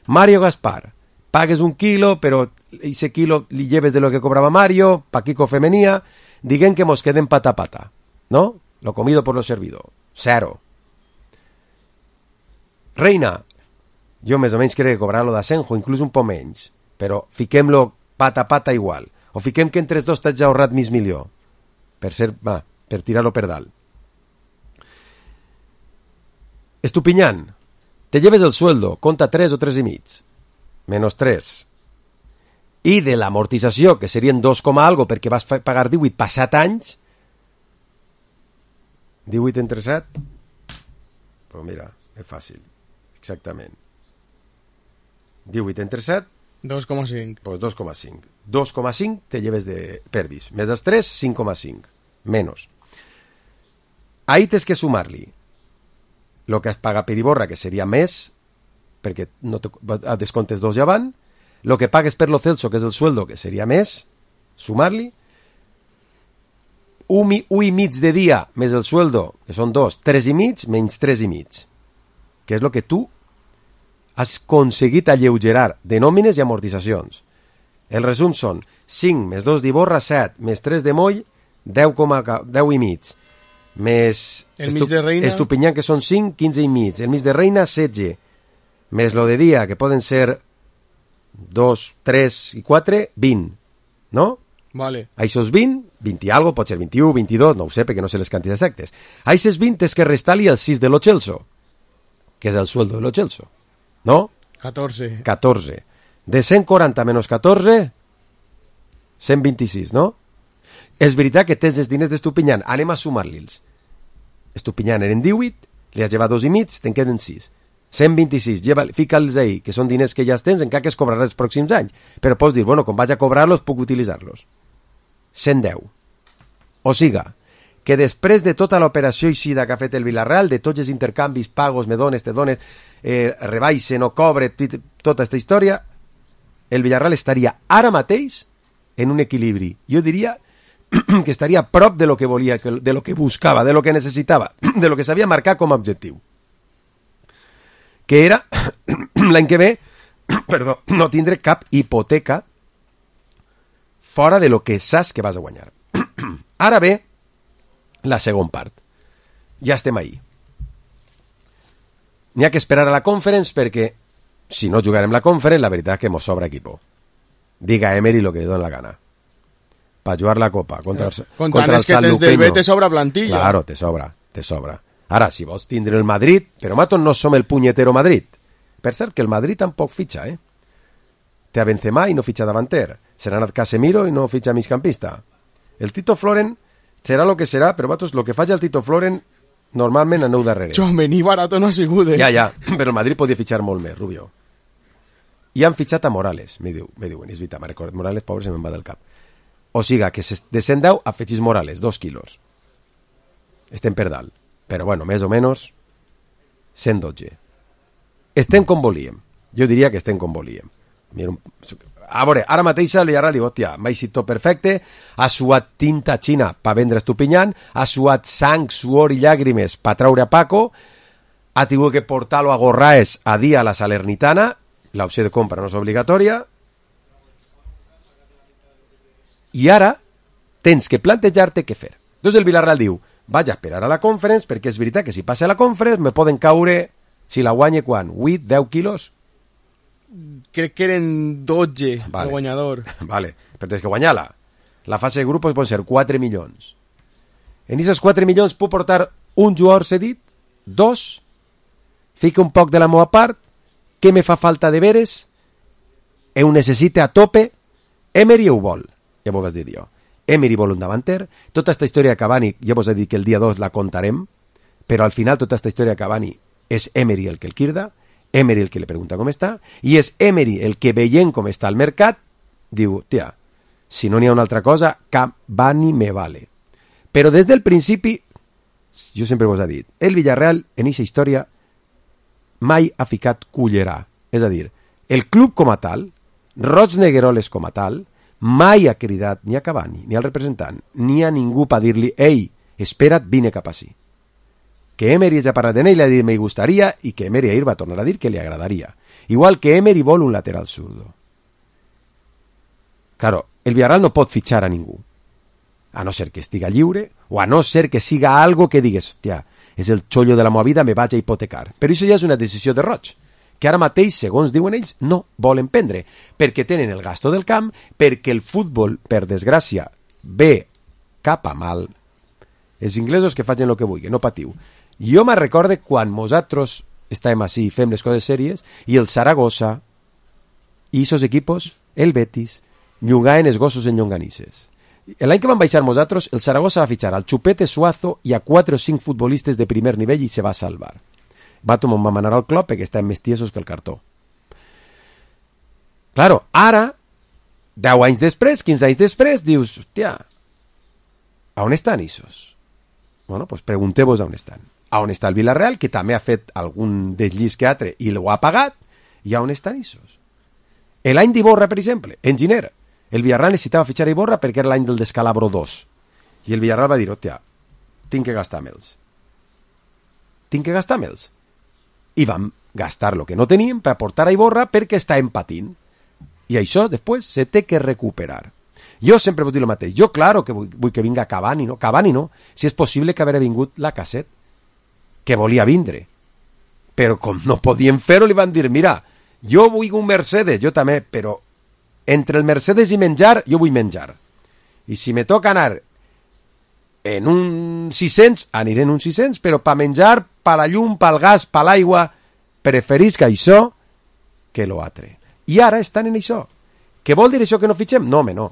Mario Gaspar, pagues un quilo, però ese quilo li lleves de lo que cobrava Mario, pa Kiko Femenía, diguen que mos queden pata a pata, ¿no? Lo comido por lo servido. Cero. Reina, jo més o menys crec que cobrarà-lo d'Asenjo, inclús un poc menys, però fiquem-lo pata a pata igual. O fiquem que entre els dos t'has ja ahorrat mig milió. Per ser, va, per tirar-lo per dalt. Estupiñán, te lleves el sueldo, compta tres o tres i mig. Menos tres. I de l'amortització, que serien dos coma algo perquè vas pagar divuit passat anys, divuit entre set, pues mira, és fàcil, exactament. divuit entre set, dos coma cinc. Pues dos coma cinc. dos coma cinc te lleves de perdis. Més els tres, cinc coma cinc. Menos. Ahí tens que sumar-li el que has pagat per Iborra, que seria més, perquè no te, a descomptes dos ja van, el que pagues per lo Celso, que és el sueldo, que seria més, sumar-li, un, un i mig de dia més el sueldo, que són dos, tres i mig, menys tres i mig, que és el que tu has aconseguit alleugerar de nòmines i amortitzacions. El resum són cinc més dos d'Iborra, set, més tres de Moll, deu, deu i mig, més el mig de Reina, Estupiñán, que són cinc, quinze i mig, el mig de Reina, setze, més lo de dia, que poden ser dos, tres i quatre, vint, no? Vale. Això és vint, vint i algo, pot ser vint-i-u, vint-i-dos, no ho sé, perquè no sé les quantitats exactes. Això és vint, és que restar-li el sis de lo Chelsea, que és el sueldo de lo Chelsea, no? catorze. catorze. De cent quaranta menys catorze, cent vint-i-sis, no? És veritat que tens els diners d'Estupiñán, anem a sumar-li'ls. Estupiñán eren divuit, li has llevat dos i mig, te'n queden sis. cent vint-i-sis, fica-los ahí, que són diners que ja els tens, encara que es cobrarà els pròxims anys. Però pots dir, bueno, com vaig a cobrar-los, puc utilitzar-los. cent deu. O siga, que després de tota l'operació eixida que ha fet el Villarreal, de tots els intercanvis, pagos, me dones, te dones, eh, rebaixe, no cobre, tota aquesta història, el Villarreal estaria ara mateix en un equilibri. Jo diria que estaria a prop de lo que volia, de lo que buscava, de lo que necessitava, de lo que s'havia marcat com a objectiu. que era l'any que ve perdó, no tindre cap hipoteca fora de lo que saps que vas a guanyar. Ara ve la segona part. Ja estem ahí. N'hi ha que esperar a la Conference perquè si no jugarem la Conference, la veritat és que mos sobra equipo. Diga Emery lo que li dona la gana. Per jugar la Copa contra, el, contra el San Luqueño. Del B te sobra plantilla. Claro, te sobra, te sobra. Ara, si vols tindre el Madrid, però matos no som el punyetero Madrid. Per cert, que el Madrid tampoc fitxa, eh? Té a Benzema i no fitxa davanter. Serà anat Casemiro i no fitxa migcampista. El Tito Floren serà lo que serà, però matos, lo que faci el Tito Floren normalment aneu darrere. Joan, venir barato no ha sigut, eh? Ja, ja, però el Madrid podia fitxar molt més, Rubio. I han fitxat a Morales, me diu, me diuen, és veritat, m'ha recordat Morales, pobre, se me'n va del cap. O siga, que de cent deu afegís Morales, dos quilos. Estem per dalt. Però, bueno, més o menys, cent dotze. Estem com volíem. Jo diria que estem com volíem. Mira, a veure, ara mateix el Villarreal diu, hòstia, m'ha eixit tot perfecte, ha suat tinta xina per vendre Estupinyant, ha suat sang, suor i llàgrimes per traure a Paco, ha tingut que portar-lo a Gorraes a dia a la Salernitana, l'opció de compra no és obligatòria, i ara tens que plantejar-te què fer. Doncs el Villarreal diu, vaig a esperar a la Conference, perquè és veritat que si passa a la Conference me poden caure, si la guanye quan? vuit, deu quilos? Crec que eren dotze, vale. El guanyador. Vale, però tens que guanyar-la. La fase de grupos pot ser quatre milions. En aquests quatre milions puc portar un jugador cedit, dos, fica un poc de la meva part, què me fa falta de veres, ho necessita a tope, Emery ho vol, ja m'ho vas dir jo. Emery vol un davanter, tota aquesta història de Cavani, ja vos he dit que el dia dos la contarem, però al final tota aquesta història de Cavani és Emery el que el quirda, Emery el que li pregunta com està, i és Emery el que veient com està el mercat, diu, tia, si no n'hi ha una altra cosa, Cavani me vale. Però des del principi, jo sempre vos he dit, el Villarreal en aquesta història mai ha ficat cullerà. És a dir, el club com a tal, Roig Negueroles com a tal, mai ha cridat ni a Cavani, ni al representant, ni a ningú per dir-li, ei, espera't, vine cap així. Que Emery ja ha parlat d'ell i li ha dit me gustaria, i que Emery ahir va tornar a dir que li agradaria. Igual que Emery vol un lateral zurdo. Claro, el Villarreal no pot fitxar a ningú, a no ser que estiga lliure, o a no ser que siga algo que digues, hòstia, és el xollo de la meva vida, me vaig a hipotecar. Però això ja és una decisió de Roig, que ara mateix, segons diuen ells, no volen prendre, perquè tenen el gasto del camp, perquè el futbol, per desgràcia, ve cap a mal. Els inglesos que facin el que vulguin, no patiu. Jo me recorde quan nosaltres estàvem així i fem les coses sèries, i el Saragossa i aquests equipos, el Betis, llogaven els gossos en llonganisses. L'any que van baixar nosaltres, el Saragossa va fitxar al Chupete Suazo i a quatre o cinc futbolistes de primer nivell i se va salvar. Va tomar un manar al club perquè estaven més tiesos que el cartó. Claro, ara, deu anys després, quinze anys després, dius, hòstia, a on estan aquests? Bueno, doncs pregunteu-vos a on estan. A on està el Villarreal, que també ha fet algun desllis que altre i l'ho ha pagat, i a on estan aquests? L'any d'Iborra, per exemple, en Giner, el Villarreal necessitava fitxar a Iborra perquè era l'any del Descalabro dos. I el Villarreal va dir, hòstia, tinc que gastar me'ls. Tinc que gastar me'ls. I vam gastar el que no teníem per portar a Iborra perquè estàvem patint. I això, després, se té que recuperar. Jo sempre vull dir el mateix. Jo, claro, que vull, vull que vinga Cavani, no? Cavani no. Si és possible que haguera vingut la Casset, que volia vindre. Però com no podien fer-ho, li van dir, mira, jo vull un Mercedes, jo també, però entre el Mercedes i menjar, jo vull menjar. I si me toca anar en un sis-cents, aniré en un sis-cents, però per menjar, per la llum, pel gas, per l'aigua, preferisc això que lo altre. I ara estan en això. Què vol dir això que no fitxem? No, home, no.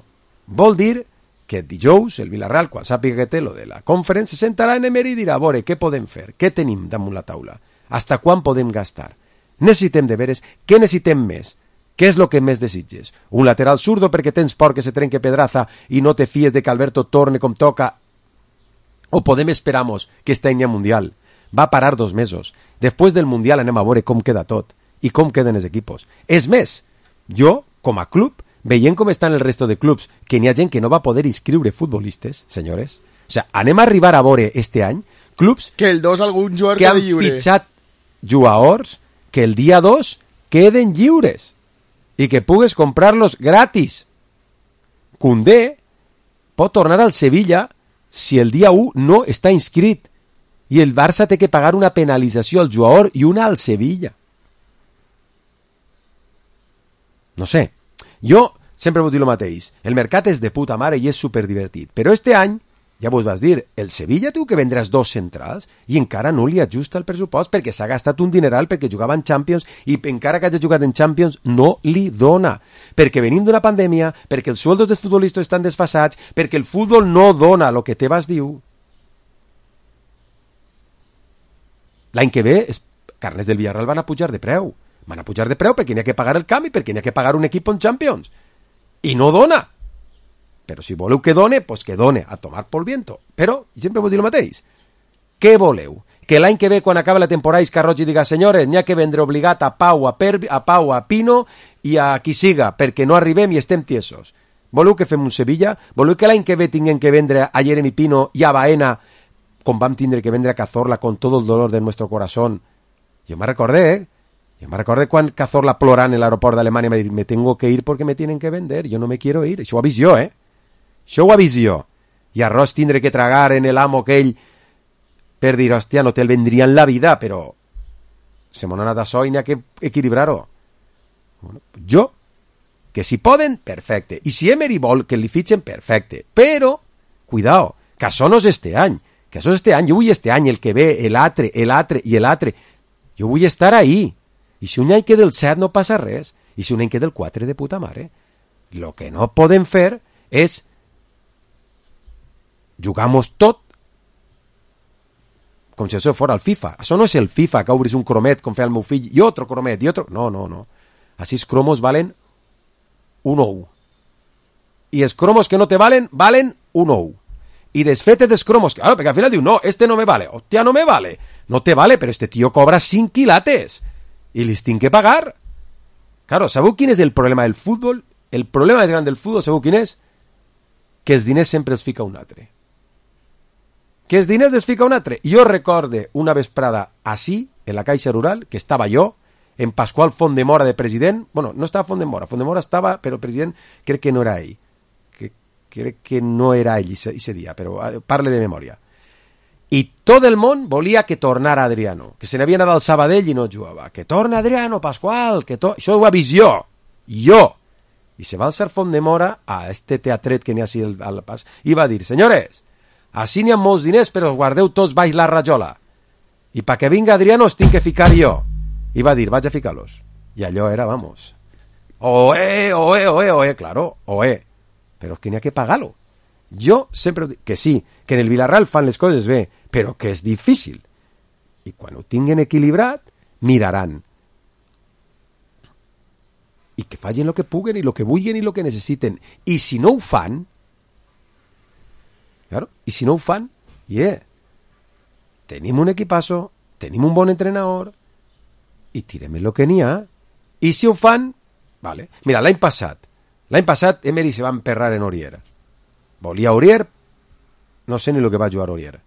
Vol dir que dijous el Villarreal, quan sàpiga que té lo de la Conference, se sentarà en Emery i dirà, a veure, què podem fer? Què tenim damunt la taula? Hasta quan podem gastar? Necessitem de veres, què necessitem més? Què és el que més desitges? Un lateral zurdo perquè tens por que se trenque Pedraza i no te fies de que Alberto torne com toca? O podem esperamos que este any mundial va parar dos mesos. Després del mundial anem a veure com queda tot i com queden els equipos. És més, jo, com a club, veient com estan el resto de clubs, que n'hi ha gent que no va poder inscriure futbolistes, senyores, o sea, anem a arribar a veure este any clubs que el dos algun jugador que han fitxat jugadors que el dia dos queden lliures i que pugues comprar-los gratis. Koundé pot tornar al Sevilla si el dia u no està inscrit i el Barça té que pagar una penalització al jugador i una al Sevilla. No sé, jo sempre vull dir el mateix, el mercat és de puta mare i és superdivertit, però este any, ja vos vas dir, el Sevilla diu que vendràs dos centrals i encara no li ajusta el pressupost perquè s'ha gastat un dineral perquè jugava en Champions i encara que hagi jugat en Champions no li dona, perquè venim d'una pandèmia, perquè els sueldos dels futbolistes estan desfasats, perquè el futbol no dona el que te vas diu. L'any que ve, els carnets del Villarreal van a pujar de preu, van a pujar de preu perquè n'hi ha que pagar el canvi, perquè n'hi ha que pagar un equip en Champions. I no dona. Però si voleu que done, pues que done, a tomar pel viento. Però, sempre vos dic el mateix. Què voleu? Que l'any que ve, quan acaba la temporada, Iscarroig diga, senyores, n'hi ha que vendre obligat a Pau, a, per, a Pau, a Pino i a qui siga, perquè no arribem i estem tiesos. Voleu que fem un Sevilla? Voleu que l'any que ve tinguem que vendre a Jeremy Pino i a Baena, com vam tindre que vendre a Cazorla con todo el dolor de nuestro corazón? Jo me recordé, eh? Yo me recuerdo quan Cazorla plorant en l'aeroport d'Alemanya, me diu, me tengo que ir porque me tienen que vender, yo no me quiero ir. Això ho avís jo, eh? Això ho avís jo. I arròs tindré que tragar en el amo aquell per dir, hòstia, no te'l vendria en la vida, però se m'ha anat això i n'hi ha que equilibrar-ho. Bueno, jo, que si poden, perfecte. I si Emery vol que li fitxen, perfecte. Però, cuidao, que això no és este any. Que això és este any. Jo vull este any, el que ve, l'altre, l'altre i l'altre. Jo vull estar ahí. I si un any queda el set no passa res, i si un any queda el quatre de puta mare. Lo que no podem fer és jugamos tot com si això fos el FIFA. Això no és el FIFA, que obris un cromet com feia el meu fill, i otro cromet, i otro... No, no, no. Així els cromos valen un ou. I els cromos que no te valen, valen un ou. Y desfete dels cromos, claro, porque al final diu, no, este no me vale, hostia, no me vale. No te vale, pero este tío cobra cinc quilates. I les tinc que pagar. Claro, sabeu quin és el problema del futbol? El problema més gran del futbol, sabeu quin és? Que els diners sempre els fica un altre. Que els diners els fica un altre. Jo recorde una vesprada així, en la Caixa Rural, que estava jo, en Pasqual Fondemora de president. Bueno, no estava Fondemora, Fondemora estava, però el president crec que no era ell. Que, crec que no era ell ese dia, però parle de memòria. I tot el món volia que tornara Adriano, que se n'havia anat al Sabadell i no jugava. Que torna Adriano, Pasqual, que to... Això ho ha vist jo, jo. I se va alçar Fondemora a este teatret que n'hi ha així al, al pas i va dir, senyores, així n'hi ha molts diners, però guardeu tots baix la rajola. I pa que vinga Adriano els tinc que ficar jo. I va dir, vaig a ficar-los. I allò era, vamos, oe, oe, oe, oe, claro, oe. Però és que n'hi ha que pagar-lo. Jo sempre dic que sí, que en el Villarreal fan les coses bé, però que és difícil. I quan ho tinguen equilibrat, miraran. I que facin el que puguen i el que vulguin i el que necessiten. I si no ho fan, claro, i si no ho fan, yeah, tenim un equipazo, tenim un bon entrenador i tirem el que n'hi ha. I si ho fan, vale. Mira, l'any passat, l'any passat Emery se va emperrar en Aurier. Volia Aurier, no sé ni el que va jugar Aurier.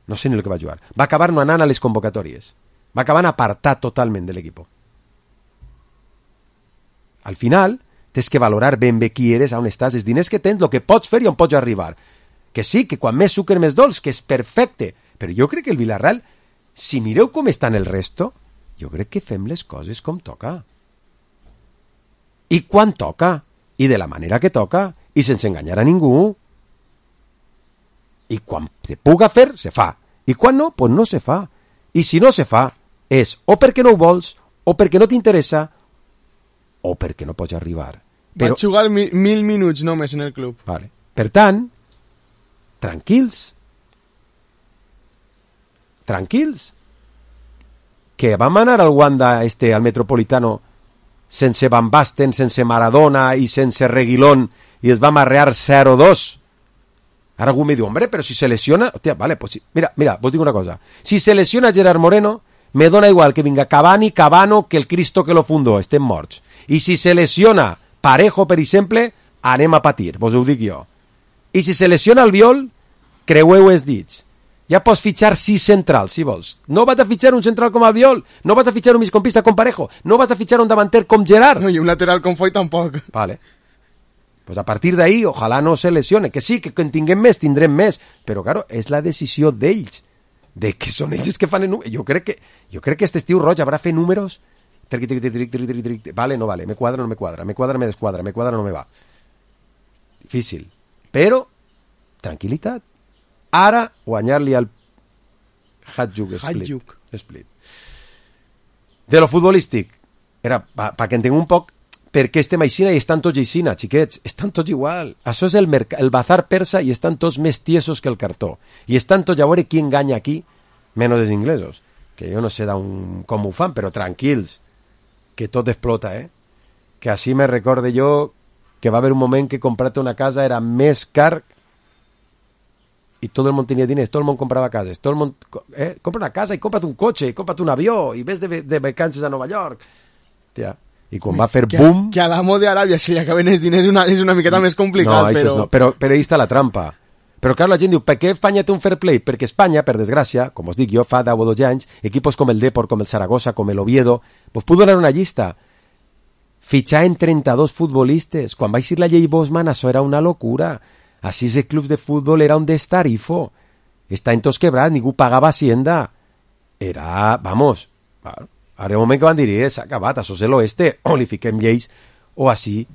No sé ni el que va jugar. Va acabar no anant a les convocatòries. Va acabar apartat totalment de l'equip. Al final, tens que valorar ben bé qui eres, on estàs, els diners que tens, el que pots fer i on pots arribar. Que sí, que quan més sucre més dolç, que és perfecte. Però jo crec que el Villarreal, si mireu com està en el resto, jo crec que fem les coses com toca. I quan toca. I de la manera que toca. I sense enganyar a ningú. I quan se puga fer, se fa. I quan no, pues no se fa. I si no se fa, és o perquè no ho vols, o perquè no t'interessa, o perquè no pots arribar. Però... Va jugar mil, mil minuts només en el club. Vale. Per tant, tranquils. Tranquils. Que vam anar al Wanda, este, al Metropolitano, sense Van Basten, sense Maradona i sense Reguilón, i es va amarrear cero dos. Ara algú me diu, hombre, però si se lesiona... Hòstia, vale, pues sí. Mira, mira, vos dic una cosa. Si se lesiona Gerard Moreno, me dona igual que vinga Cavani, Cabano, que el Cristo que lo fundó, estem morts. I si se lesiona Parejo, per exemple, anem a patir, vos ho dic jo. I si se lesiona Albiol, creueu els dits. Ja pots fitxar sis centrals, si vols. No vas a fitxar un central com Albiol, no vas a fitxar un migcampista com Parejo, no vas a fitxar un davanter com Gerard. No, i un lateral com Foy tampoc. Vale. Pues a partir d'ahí, ojalà no se lesione. Que sí, que en tinguem més, tindrem més. Però, claro, és la decisió d'ells. De que són ells que fan el número. Jo crec que, jo crec que este estiu Roig haurà fet números. Tric, tric, tric, tric, tric, tric. Vale, no vale. Me quadra, no me quadra. Me quadra, me desquadra. Me quadra, no me va. Difícil. Però, tranquil·litat. Ara, guanyar-li al Hajduk Split. Split. De lo futbolístic, era pa, pa que entenguem un poc perquè estem aixina i estan tots aixina, xiquets, estan tots igual. Això és el, el bazar persa i estan tots més tiesos que el cartó. I estan tots a veure qui enganya aquí, menys els inglesos, que jo no sé un, com ho fan, però tranquils, que tot explota, eh? Que així me recorde jo que va haver un moment que comprar-te una casa era més car y todo el mundo tenía dinero, todo el mundo compraba casas, todo el mundo, eh, compra una casa y cómprate un coche, y cómprate un avión y ves de, de vacances a Nueva York. Tía, i quan va fer que, boom... Que a l'amo d'Aràbia se li acaben els diners una, és una miqueta més complicat, no, però... No, però... però ahí està la trampa. Però clar, la gent diu, per què Espanya té un fair play? Perquè Espanya, per desgràcia, com us dic jo, fa deu o dotze anys, equipos com el Depor, com el Zaragoza, com el Oviedo, pues puc donar una llista. Fitxar en trenta-dos futbolistes. Quan va eixir la llei Bosman, això era una locura. Així els clubs de futbol era un destarifo. Estaven tots quebrats, ningú pagava hacienda. Era, vamos, ara un moment que van dir, eh, s'ha acabat, això és l'oeste, o li fiquem lleis, o així.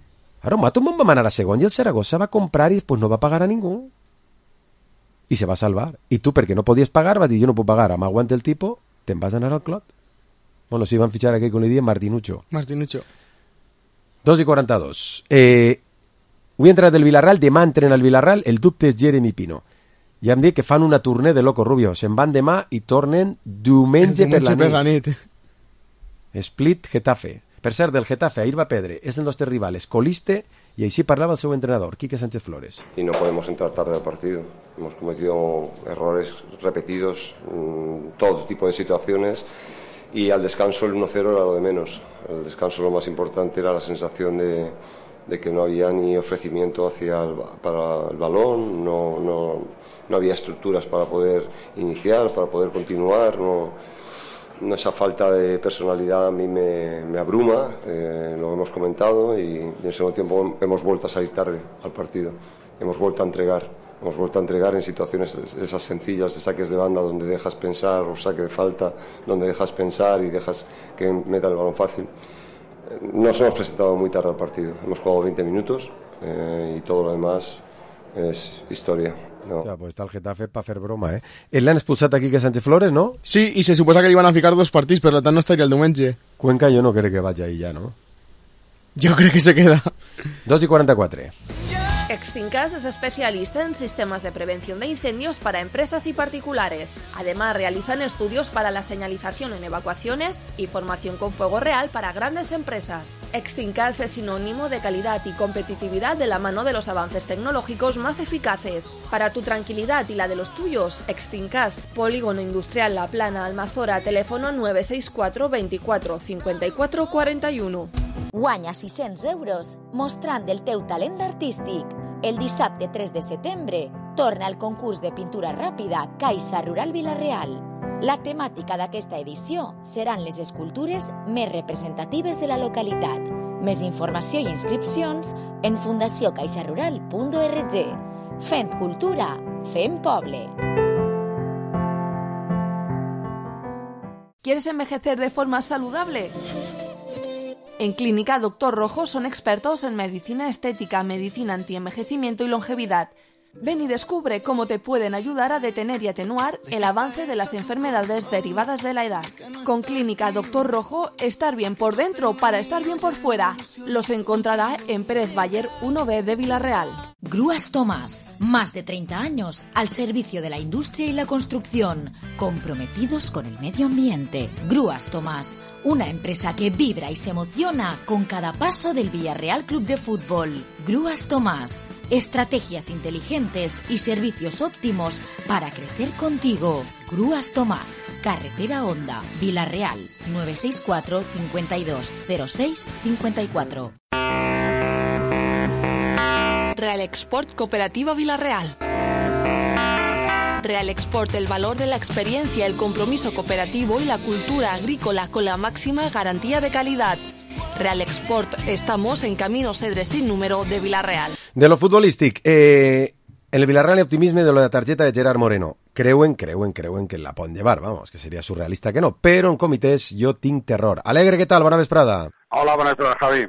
Ara, un mato va anar a segon i el Zaragoza va comprar i després no va pagar a ningú. I se va salvar. I tu, perquè no podies pagar, vas dir, jo no puc pagar, m'aguanta el tipo, te'n vas anar al clot. Bueno, si van fitxar aquí, com li diem, Martinucho. Martinucho. dos i quaranta-dos. Eh... Avui entra del Villarreal, demà entren al Villarreal, el dubte és Jeremy Pino. Ja em dic que fan una tournée de Loco Rubio, se'n van demà i tornen diumenge, diumenge per la nit. Per la nit. Split Getafe. Per cert, del Getafe, ahir va perdre, és el nostre rival, és coliste, y així parlava el seu entrenador, Quique Sánchez Flores. Y no podemos entrar tarde al partido. Hemos cometido errores repetidos, mmm, todo tipo de situaciones, y al descanso el uno cero era lo de menos. El descanso lo más importante era la sensación de... de que no había ni ofrecimiento hacia el, para el balón, no, no, no había estructuras para poder iniciar, para poder continuar, no, no esa falta de personalidad a mí me, me abruma, eh, lo hemos comentado y, y en segundo tiempo hemos vuelto a salir tarde al partido, hemos vuelto a entregar, hemos vuelto a entregar en situaciones esas sencillas de saques de banda donde dejas pensar o saque de falta, donde dejas pensar y dejas que meta el balón fácil. Nos hemos presentado muy tarde al partido. Hemos jugado veinte minutos eh, y todo lo demás es historia. No. Ja, pues està el Getafe per fer broma, eh? El l'han expulsat aquí que Sánchez Flores, no? Sí, i se suposa que li van a ficar dos partits, per tant no estaria el diumenge. Cuenca jo no crec que vagi ahí ja, no? Jo crec que se queda. dos i quaranta-quatre. Exfincas es especialista en sistemas de prevención de incendios para empresas y particulares. Además, realizan estudios para la señalización en evacuaciones y formación con fuego real para grandes empresas. Exfincas es sinónimo de calidad y competitividad de la mano de los avances tecnológicos más eficaces. Para tu tranquilidad y la de los tuyos, Exfincas, Polígono Industrial La Plana, Almazora, teléfono nueve seis cuatro veinticuatro cincuenta y cuatro cuarenta y uno. Guanya sis-cents euros mostrant el teu talent artístic. El dissabte tres de setembre torna el concurs de pintura ràpida Caixa Rural Vila-real. La temàtica d'aquesta edició seran les escultures més representatives de la localitat. Més informació i inscripcions en fundació caixa rural punt org. Fent cultura, fent poble. ¿Quieres envejecer de forma saludable? En Clínica Doctor Rojo son expertos en medicina estética, medicina antienvejecimiento y longevidad. Ven y descubre cómo te pueden ayudar a detener y atenuar el avance de las enfermedades derivadas de la edad. Con Clínica Doctor Rojo, estar bien por dentro para estar bien por fuera. Los encontrará en Pérez Bayer uno B de Vila-real. Grúas Tomás, más de treinta años al servicio de la industria y la construcción, comprometidos con el medio ambiente. Grúas Tomás, una empresa que vibra y se emociona con cada paso del Villarreal Club de Fútbol. Grúas Tomás, estrategias inteligentes y servicios óptimos para crecer contigo. Grúas Tomás, Carretera Honda, Vila-real, nueve seis cuatro cincuenta y dos cero seis cincuenta y cuatro. Real Export Cooperativa Vila-real. Real Export, el valor de la experiencia, el compromiso cooperativo y la cultura agrícola con la máxima garantía de calidad. Real Export, estamos en Camino Cedre sin número de Villarreal. De lo futbolístic, eh, en el Villarreal hay optimisme de lo de la targeta de Gerard Moreno. Creuen, creuen, creuen que la poden llevar, vamos, que seria surrealista que no, però en comités jo tinc terror. Alegre, què tal? Bona vesprada. Hola, bona vesprada, Javi.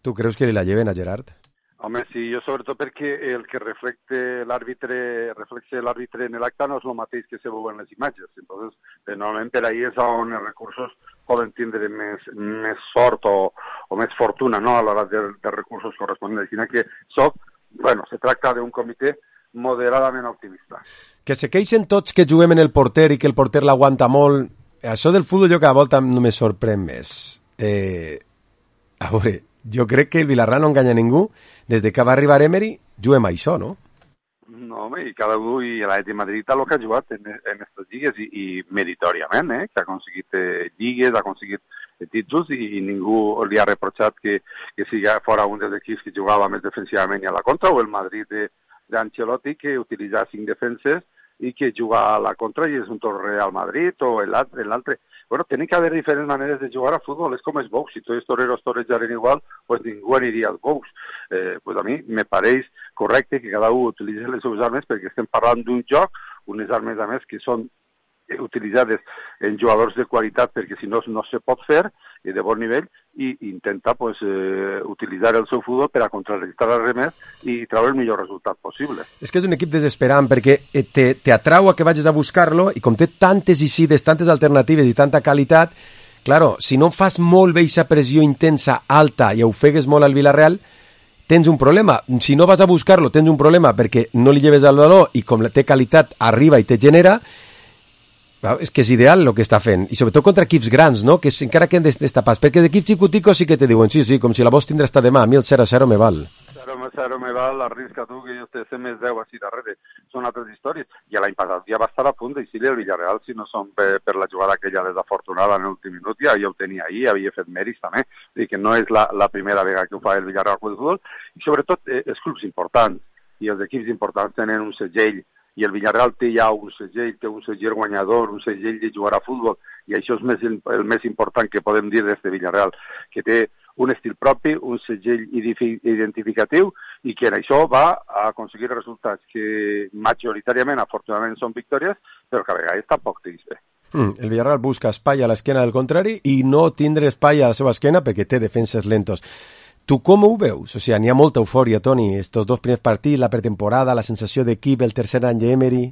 Tu creus que li la lleven a Gerard? Home, sí, jo sobretot perquè el que reflecte l'àrbitre reflexe l'àrbitre en l'acte no és el mateix que se veuen les imatges. Entonces, eh, normalment per ahí és on els recursos poden tindre més, més sort o, o més fortuna, no?, a l'hora de, de recursos corresponents. Així que soc, bueno, se tracta d'un comitè moderadament optimista. Que se queixen tots que juguem en el porter i que el porter l'aguanta molt. Això del futbol jo cada volta no me sorprèn més. Eh, a veure, jo crec que el Villarreal no enganya ningú. Des de que va arribar Emery, juguem a això, no? No, home, i cada un, i l'Atlètic de Madrid el que ha jugat en aquestes lligues, i, i meritòriament, eh? Que ha aconseguit eh, lligues, ha aconseguit eh, títols, i, i ningú li ha reprotxat que, que sigui fora un dels equips que jugava més defensivament i a la contra, o el Madrid de, d'Ancelotti, que utilitza cinc defenses i que juga a la contra i és un torre al Madrid, o l'altre. Bueno, tiene que haber diferents maneres de jugar a futbol, és com els box, si tots els toreros torejaren igual, pues ningú aniria als box. Eh, pues a mi me pareix correcte que cada un utilitzi les seves armes, perquè estem parlant d'un joc, unes armes a més que són utilitzades en jugadors de qualitat, perquè si no no se pot fer, i de bon nivell, i intenta pues, eh, utilitzar el seu futbol per a contrarrestar els remés i treure el millor resultat possible. És que és un equip desesperant, perquè te, te atrau a que vagis a buscar-lo, i com té tantes incides, tantes alternatives i tanta qualitat, claro, si no fas molt bé aquesta pressió intensa, alta, i ofegues molt al Villarreal, tens un problema. Si no vas a buscar-lo, tens un problema, perquè no li lleves al valor, i com té qualitat, arriba i te genera. És que és ideal el que està fent, i sobretot contra equips grans, no?, que encara que han destapats, perquè d'equips xicoticos sí que te diuen, sí, sí, com si la vols tindre hasta demà, a mi el zero a zero me val. zero a zero me val, arrisca tu que jo te sé més deu així darrere, són altres històries. I l'any passat ja va estar a punt d'eixir el Villarreal, si no són per, per la jugada aquella desafortunada en l'últim minut, ja, ja ho tenia ahir, havia fet mèrits també, i que no és la, la primera vegada que ho fa el Villarreal del futbol, i sobretot eh, els clubs importants i els equips importants tenen un segell, i el Villarreal té ja un segell, té un segell guanyador, un segell de jugar a futbol, i això és més, el més important que podem dir d'este Villarreal, que té un estil propi, un segell identificatiu, i que en això va a aconseguir resultats que majoritàriament, afortunadament, són victòries, però que a vegades tampoc tens bé. Mm, el Villarreal busca espai a l'esquena del contrari i no tindre espai a la seva esquena perquè té defenses lentos. Tu com ho veus? O sigui, n'hi ha molta eufòria, Toni, estos dos primers partits, la pretemporada, la sensació d'equip, el tercer any d'Emery.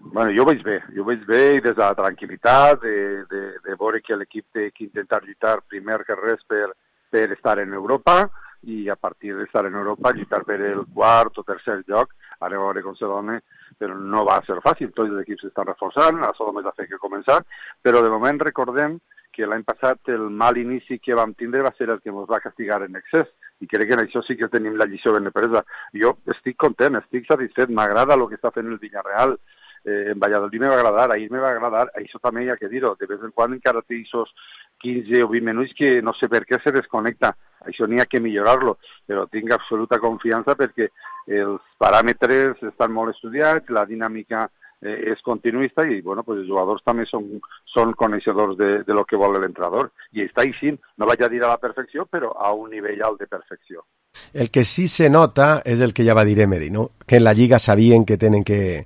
Bueno, jo ho veig bé, jo ho veig bé i des de la tranquil·litat, de, de, de veure que l'equip té que intentar lluitar primer que res per, per estar en Europa, i a partir d'estar en Europa lluitar per el quart o tercer lloc, ara a veure com se dona, però no va ser fàcil, tots els equips s'estan reforçant, això només ha fet que començar, però de moment recordem que l'any passat el mal inici que vam tindre va ser el que ens va castigar en excés, i crec que en això sí que tenim la lliçó ben presa. Jo estic content, estic satisfet, m'agrada el que està fent el Villarreal, eh, en Valladolid me va agradar, ahir me va agradar, això també hi ha que dir-ho, de vez en quan encara té aquests quinze o vint minuts que no sé per què se desconnecta, això n'hi ha que millorar-lo, però tinc absoluta confiança perquè els paràmetres estan molt estudiats, la dinàmica Eh, és continuista, i bueno, pues els jugadors també són, són coneixedors de, de lo que vol l'entrenador, i està així, no vaig a dir a la perfecció, però a un nivell alt de perfecció. El que sí se nota és el que ja va dir Emery, no? Que en la Lliga sabien que tenen que,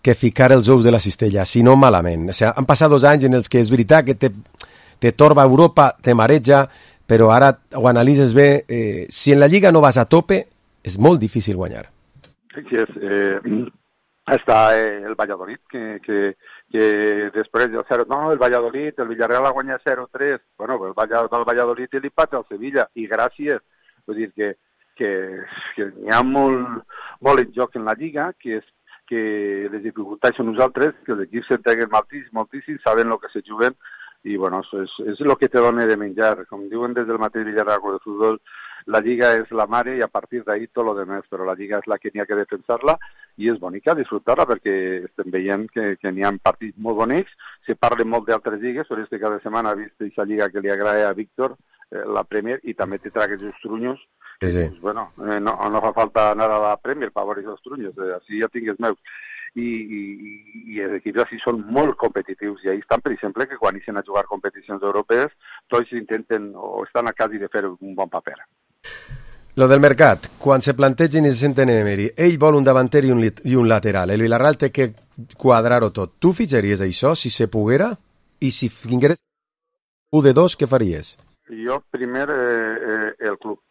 que ficar els ous de la cistella, si no malament. O sigui, han passat dos anys en els que és veritat que te, te torba Europa, te mareja, però ara ho analitzes bé, eh, si en la Lliga no vas a tope, és molt difícil guanyar. Sí, sí, és... Eh... Està eh, el Valladolid, que, que, que després del zero... No, el Valladolid, el Villarreal ha guanyat zero tres. Bueno, el, el Valladolid li pata al Sevilla, i gràcies. Vull dir que, que, que hi ha molt, molt en joc en la Lliga, que, és, que les dificultats són nosaltres, que els equips s'entreguen moltíssim, moltíssim, saben el que se juguen, i bueno, és, és el que te dona de menjar. Com diuen des del mateix Villarreal de futbol, la Lliga és la mare i a partir d'ahí tot lo demás, però la Lliga és la que n'hi ha que defensar-la i és bonica disfrutar-la perquè estem veient que, que n'hi ha partits molt bonics, se parla molt d'altres lligues, però este cada setmana ha vist aquesta Lliga que li agrada a Víctor, eh, la Premier, i també te tragues els trunyos. Sí, sí. Pues, bueno, eh, no, no fa falta anar a la Premier per veure els trunyos, eh, així ja tinc els meus. i, i, i els equips així són molt competitius i ahí estan, per exemple, que quan ixen a jugar competicions europees tots intenten o estan a quasi de fer un bon paper. Lo del mercat, quan se plantegin i se senten Emery, ell vol un davanter i un, i un lateral, el Villarreal té que quadrar-ho tot. Tu fitxaries això si se poguera? I si tingueres un de dos, què faries? Jo primer eh, eh, el club,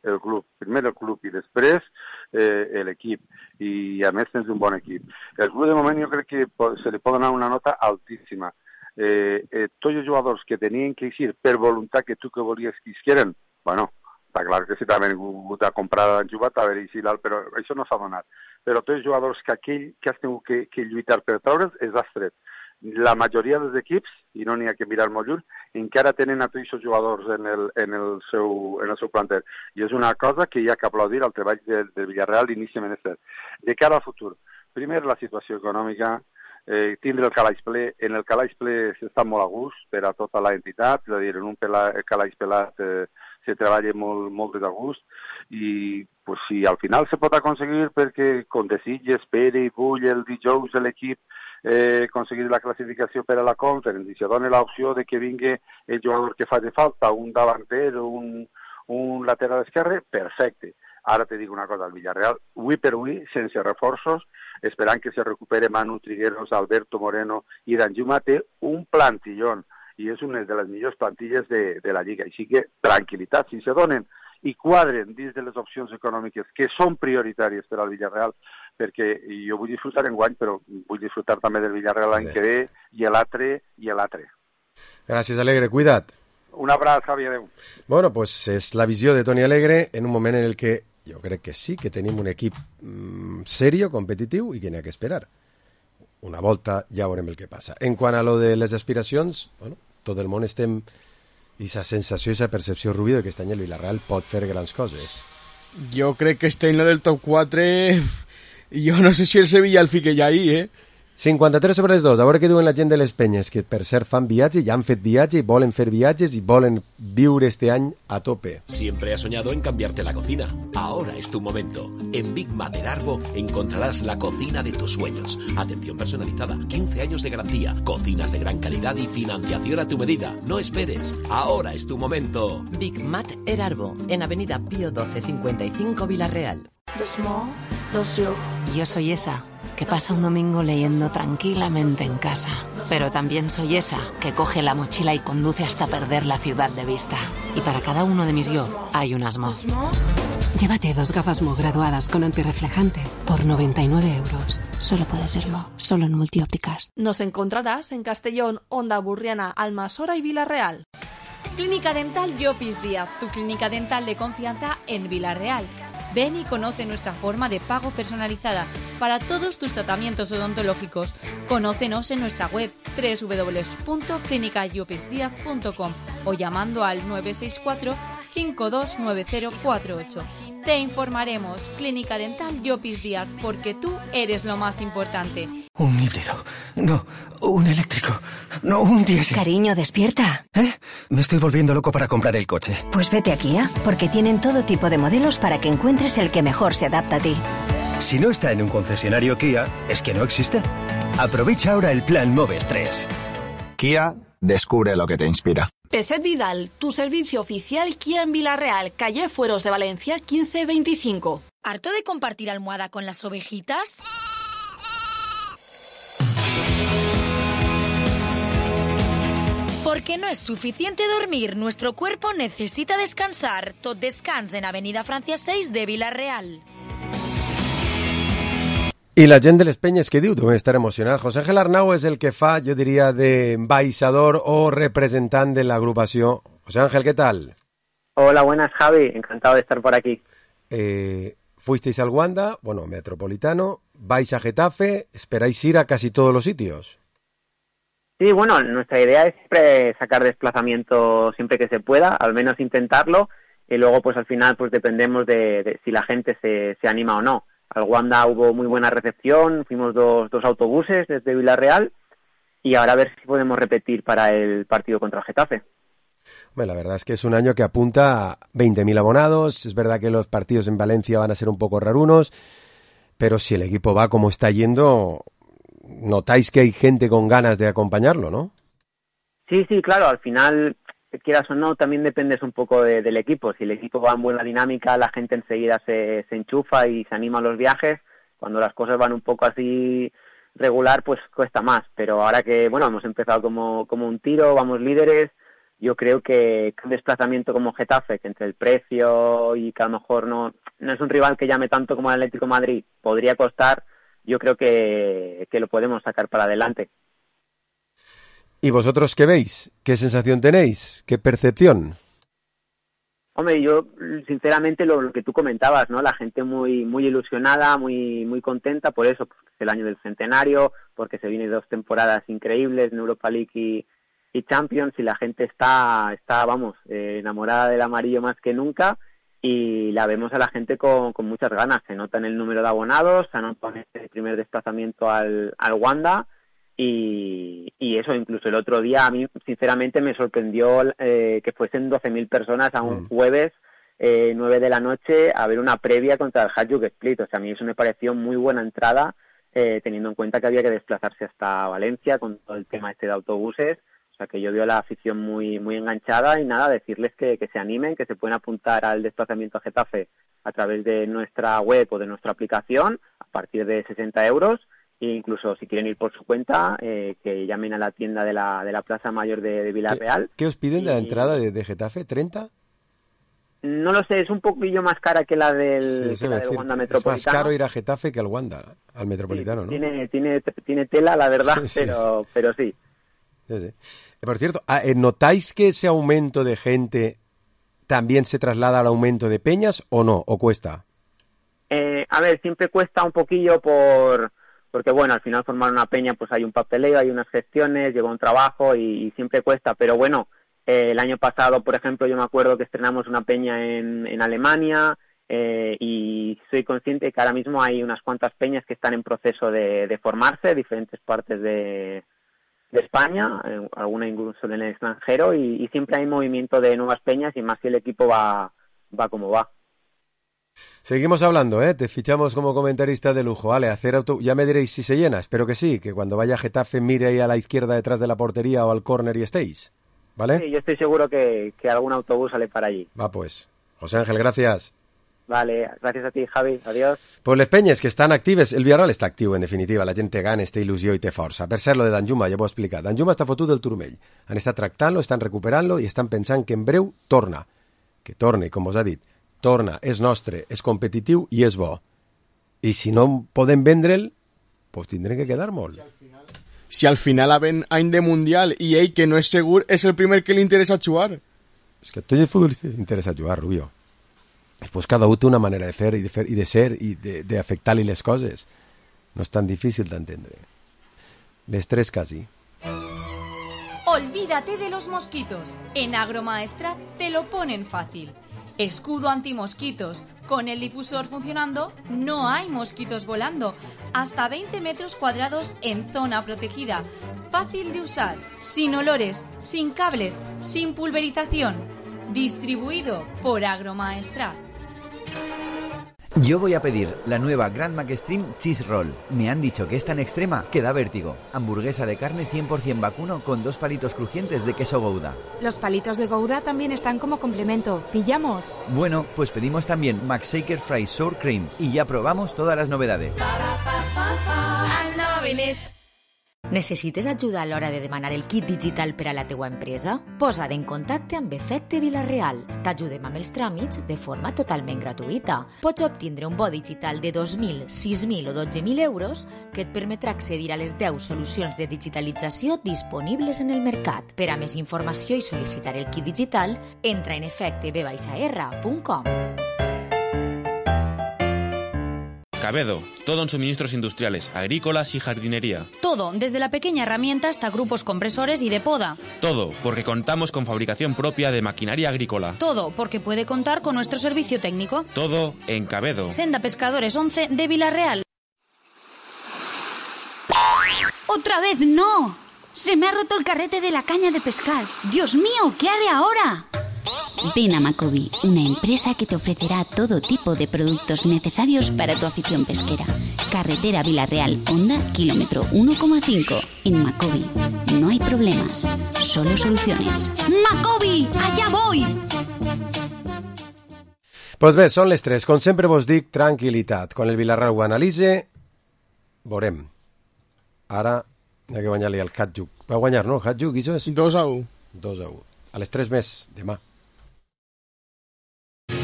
el club, primer el club i després eh, l'equip, i a més tens un bon equip. El club de moment jo crec que se li pot donar una nota altíssima. Eh, eh, tots els jugadors que tenien que eixir per voluntat que tu que volies que isqueren, bueno, està clar que si també han vingut a comprar han jugat a veure si l'alt, però això no s'ha donat. Però tots els jugadors que aquell que has tingut que, que lluitar per treure's és has tret. La majoria dels equips, i no n'hi ha que mirar molt lluny, encara tenen a tots els jugadors en el, en el, seu, en el seu planter. I és una cosa que hi ha que aplaudir al treball del de Villarreal inicialment és cert. De cara al futur, primer la situació econòmica, eh, tindre el calaix ple. En el calaix ple s'està molt a gust per a tota l'entitat, és a dir, en un pela, calaix pelat eh, se treballa molt, molt de gust i pues, si al final se pot aconseguir perquè com desitges, Pere i Bull el dijous de l'equip eh, aconseguir la classificació per a la Conference i se dona l'opció de que vingui el jugador que faci falta, un davanter o un, un lateral esquerre, perfecte. Ara te dic una cosa, el Villarreal, avui per avui, sense reforços, esperant que se recupere Manu Trigueros, Alberto Moreno i Danjuma, té un plantillón i és una de les millors plantilles de, de la Lliga. Així que, tranquil·litat, si se donen i quadren dins de les opcions econòmiques que són prioritàries per al Villarreal, perquè jo vull disfrutar en guany, però vull disfrutar també del Villarreal l'any que ve, i l'altre, i l'altre. Gràcies, Alegre, cuida't. Un abraç, Javi, adeu. Bueno, pues és la visió de Toni Alegre en un moment en el que jo crec que sí, que tenim un equip mm, serio, competitiu, i que n'hi ha que esperar. Una volta ja veurem el que passa. En quant a lo de les aspiracions, bueno, tot el món estem i aquesta sensació i aquesta percepció, Rubio, de que aquest any el Villarreal pot fer grans coses. Jo crec que este any lo del top quatre, jo no sé si el Sevilla el fique ja ahí, eh? cinquanta-tres sobre les dos. A veure què diuen la gent de les penyes, que per cert fan viatge, ja han fet viatge, i volen fer viatges i volen viure este any a tope. Siempre has soñado en cambiarte la cocina. Ahora es tu momento. En Big Mat del Arbo encontrarás la cocina de tus sueños. Atención personalizada, quince años de garantía, cocinas de gran calidad y financiación a tu medida. No esperes. Ahora es tu momento. Big Mat El Arbo, en Avenida Pío doce cincuenta y cinco, Villarreal. Dos mo, dos yo. Yo soy esa que pasa un domingo leyendo tranquilamente en casa. Pero también soy esa que coge la mochila y conduce hasta perder la ciudad de vista. Y para cada uno de mis yo hay unas mo. Llévate dos gafas Mo graduadas con antirreflejante por noventa y nueve euros. Solo puede ser Mo, solo en Multiópticas. Nos encontrarás en Castellón, Onda Burriana, Almasora y Villarreal. Clínica Dental Llopis Díaz, tu clínica dental de confianza en Villarreal. Ven y conoce nuestra forma de pago personalizada para todos tus tratamientos odontológicos. Conócenos en nuestra web doble u doble u doble u punto clínica llopis díaz punto com o llamando al nueve seis cuatro, cinco dos nueve cero cuatro ocho. Te informaremos. Clínica Dental Llopis Díaz, porque tú eres lo más importante. Un híbrido. No, un eléctrico. No, un diésel. Cariño, despierta. ¿Eh? Me estoy volviendo loco para comprar el coche. Pues vete a Kia, porque tienen todo tipo de modelos para que encuentres el que mejor se adapta a ti. Si no está en un concesionario Kia, es que no existe. Aprovecha ahora el plan Moves tres. Kia, descubre lo que te inspira. Peset Vidal, tu servicio oficial Kia en Villarreal, calle Fueros de Valencia quince veinticinco. ¿Harto de compartir almohada con las ovejitas? Porque no es suficiente dormir, nuestro cuerpo necesita descansar. Tot Descans en Avenida Francia seis de Villarreal. I la gent de les penyes, què diu? Deu estar emocionat. José Ángel Arnau és el que fa, jo diria, de embaixador o representant de l'agrupació. José Ángel, ¿qué tal? Hola, buenas, Javi. Encantado de estar por aquí. Eh, fuisteis al Wanda, bueno, Metropolitano, vais a Getafe, esperáis ir a casi todos los sitios. Sí, bueno, nuestra idea es siempre sacar desplazamiento siempre que se pueda, al menos intentarlo, y luego pues al final pues dependemos de, de si la gente se, se anima o no. Al Wanda hubo muy buena recepción, fuimos dos, dos autobuses desde Villarreal y ahora a ver si podemos repetir para el partido contra el Getafe. Bueno, la verdad es que es un año que apunta a veinte mil abonados, es verdad que los partidos en Valencia van a ser un poco rarunos, pero si el equipo va como está yendo, notáis que hay gente con ganas de acompañarlo, ¿no? Sí, sí, claro, al final, quieras o no, también dependes un poco de, del equipo. Si el equipo va en buena dinámica, la gente enseguida se, se enchufa y se anima a los viajes. Cuando las cosas van un poco así regular, pues cuesta más. Pero ahora que, bueno, hemos empezado como, como un tiro, vamos líderes, yo creo que un desplazamiento como Getafe, que entre el precio y que a lo mejor no, no es un rival que llame tanto como el Atlético de Madrid, podría costar, yo creo que, que lo podemos sacar para adelante. ¿Y vosotros qué veis? ¿Qué sensación tenéis? ¿Qué percepción? Hombre, yo sinceramente lo, lo que tú comentabas, ¿no? La gente muy muy ilusionada, muy muy contenta por eso, porque es el año del centenario, porque se vienen dos temporadas increíbles en Europa League y, y Champions, y la gente está, está vamos, eh, enamorada del amarillo más que nunca, y la vemos a la gente con, con muchas ganas. Se nota en el número de abonados, se nota en el primer desplazamiento al, al Wanda, y, y eso, incluso el otro día a mí sinceramente me sorprendió eh, que fuesen doce mil personas a un mm. jueves eh, nueve de la noche a ver una previa contra el Hajduk Split. O sea, a mí eso me pareció muy buena entrada, eh, teniendo en cuenta que había que desplazarse hasta Valencia con todo el tema este de autobuses. O sea, que yo veo a la afición muy muy enganchada, y nada, decirles que, que se animen, que se pueden apuntar al desplazamiento a Getafe a través de nuestra web o de nuestra aplicación a partir de sesenta euros. E incluso si quieren ir por su cuenta, eh, que llamen a la tienda de la de la Plaza Mayor de, de Villarreal. ¿Qué, ¿Qué os piden y... de la entrada de, de Getafe? ¿treinta? No lo sé, es un poquillo más cara que la del, sí, que la del Wanda Metropolitano. Es más caro ir a Getafe que al Wanda, al Metropolitano, sí, ¿no? Tiene, tiene, tiene tela, la verdad, sí, pero, sí. pero sí. sí, sí. Por cierto, ¿notáis que ese aumento de gente también se traslada al aumento de peñas o no? ¿O cuesta? Eh, a ver, siempre cuesta un poquillo por... porque bueno, al final formar una peña pues hay un papeleo, hay unas gestiones, lleva un trabajo y, y siempre cuesta, pero bueno, eh, el año pasado, por ejemplo, yo me acuerdo que estrenamos una peña en, en Alemania, eh, y soy consciente que ahora mismo hay unas cuantas peñas que están en proceso de, de formarse, diferentes partes de, de España, eh, alguna incluso en el extranjero, y, y siempre hay movimiento de nuevas peñas, y más si el equipo va, va como va. Seguimos hablando, ¿eh? Te fichamos como comentarista de lujo. Vale, hacer auto... ya me diréis si se llena. Espero que sí, que cuando vaya a Getafe mire ahí a la izquierda detrás de la portería o al córner y estéis. ¿Vale? Sí, yo estoy seguro que, que algún autobús sale para allí. Va, pues. José Ángel, gracias. Vale, gracias a ti, Javi. Adiós. Pues les penyes que estan actives, el Villarreal està actiu, en definitiva. La gent té ganes, té il·lusió i té força. Per cert, lo de Danjuma, ja ho he explicat. Danjuma està fotut del turmell. Han estat tractant-lo, estan recuperant-lo i estan pensant que en breu torna. Que torne, com us ha dit. Torna, és nostre, és competitiu i és bo. I si no podem vendre'l, pues tindrem que quedar molt. Si al final ven any de Mundial i ell, que no és segur, és el primer que li interessa jugar. És que a tots els futbolistes interessa jugar, Rubio. Después cada uno tiene una manera de fer i de, fer, i de ser i de, de afectar-li les coses. No és tan difícil d'entendre. Les tres casi. Olvídate de los mosquitos. En Agromaestrat te lo ponen fácil. Escudo antimosquitos. Con el difusor funcionando, no hay mosquitos volando. Hasta veinte metros cuadrados en zona protegida. Fácil de usar, sin olores, sin cables, sin pulverización. Distribuido por Agromaestrat. Yo voy a pedir la nueva Grand Mac Extreme Cheese Roll. Me han dicho que es tan extrema que da vértigo. Hamburguesa de carne cien por ciento vacuno con dos palitos crujientes de queso Gouda. Los palitos de Gouda también están como complemento. ¿Pillamos? Bueno, pues pedimos también Mac Shaker Fry Sour Cream y ya probamos todas las novedades. Necessites ajuda a l'hora de demanar el kit digital per a la teua empresa? Posa't en contacte amb Efecte Vilareal. T'ajudem amb els tràmits de forma totalment gratuïta. Pots obtindre un bo digital de dos mil, sis mil o dotze mil euros que et permetrà accedir a les deu solucions de digitalització disponibles en el mercat. Per a més informació i sol·licitar el kit digital, entra en efecte b r punt com. Cabedo, todo en suministros industriales, agrícolas y jardinería. Todo, desde la pequeña herramienta hasta grupos compresores y de poda. Todo, porque contamos con fabricación propia de maquinaria agrícola. Todo, porque puede contar con nuestro servicio técnico. Todo en Cabedo. Senda Pescadores once de Vilareal. ¡Otra vez no! Se me ha roto el carrete de la caña de pescar. ¡Dios mío! ¿Qué haré ahora? Ven a Macobi, una empresa que te ofrecerá todo tipo de productos necesarios para tu afición pesquera. Carretera Villarreal, Honda, kilómetro uno coma cinco. En Macobi no hay problemas, solo soluciones. Macobi, allá voy! Pues bé, són les tres. Com sempre vos dic, tranquil·litat. Quan el Villarreal ho analitze, veurem. Ara hi ha que guanyar-li al Hatjuk. Va guanyar, no, el Hatjuk, i això és? dos a u. dos a u. A les tres més, demà.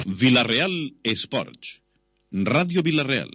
Villarreal Esports. Ràdio Villarreal.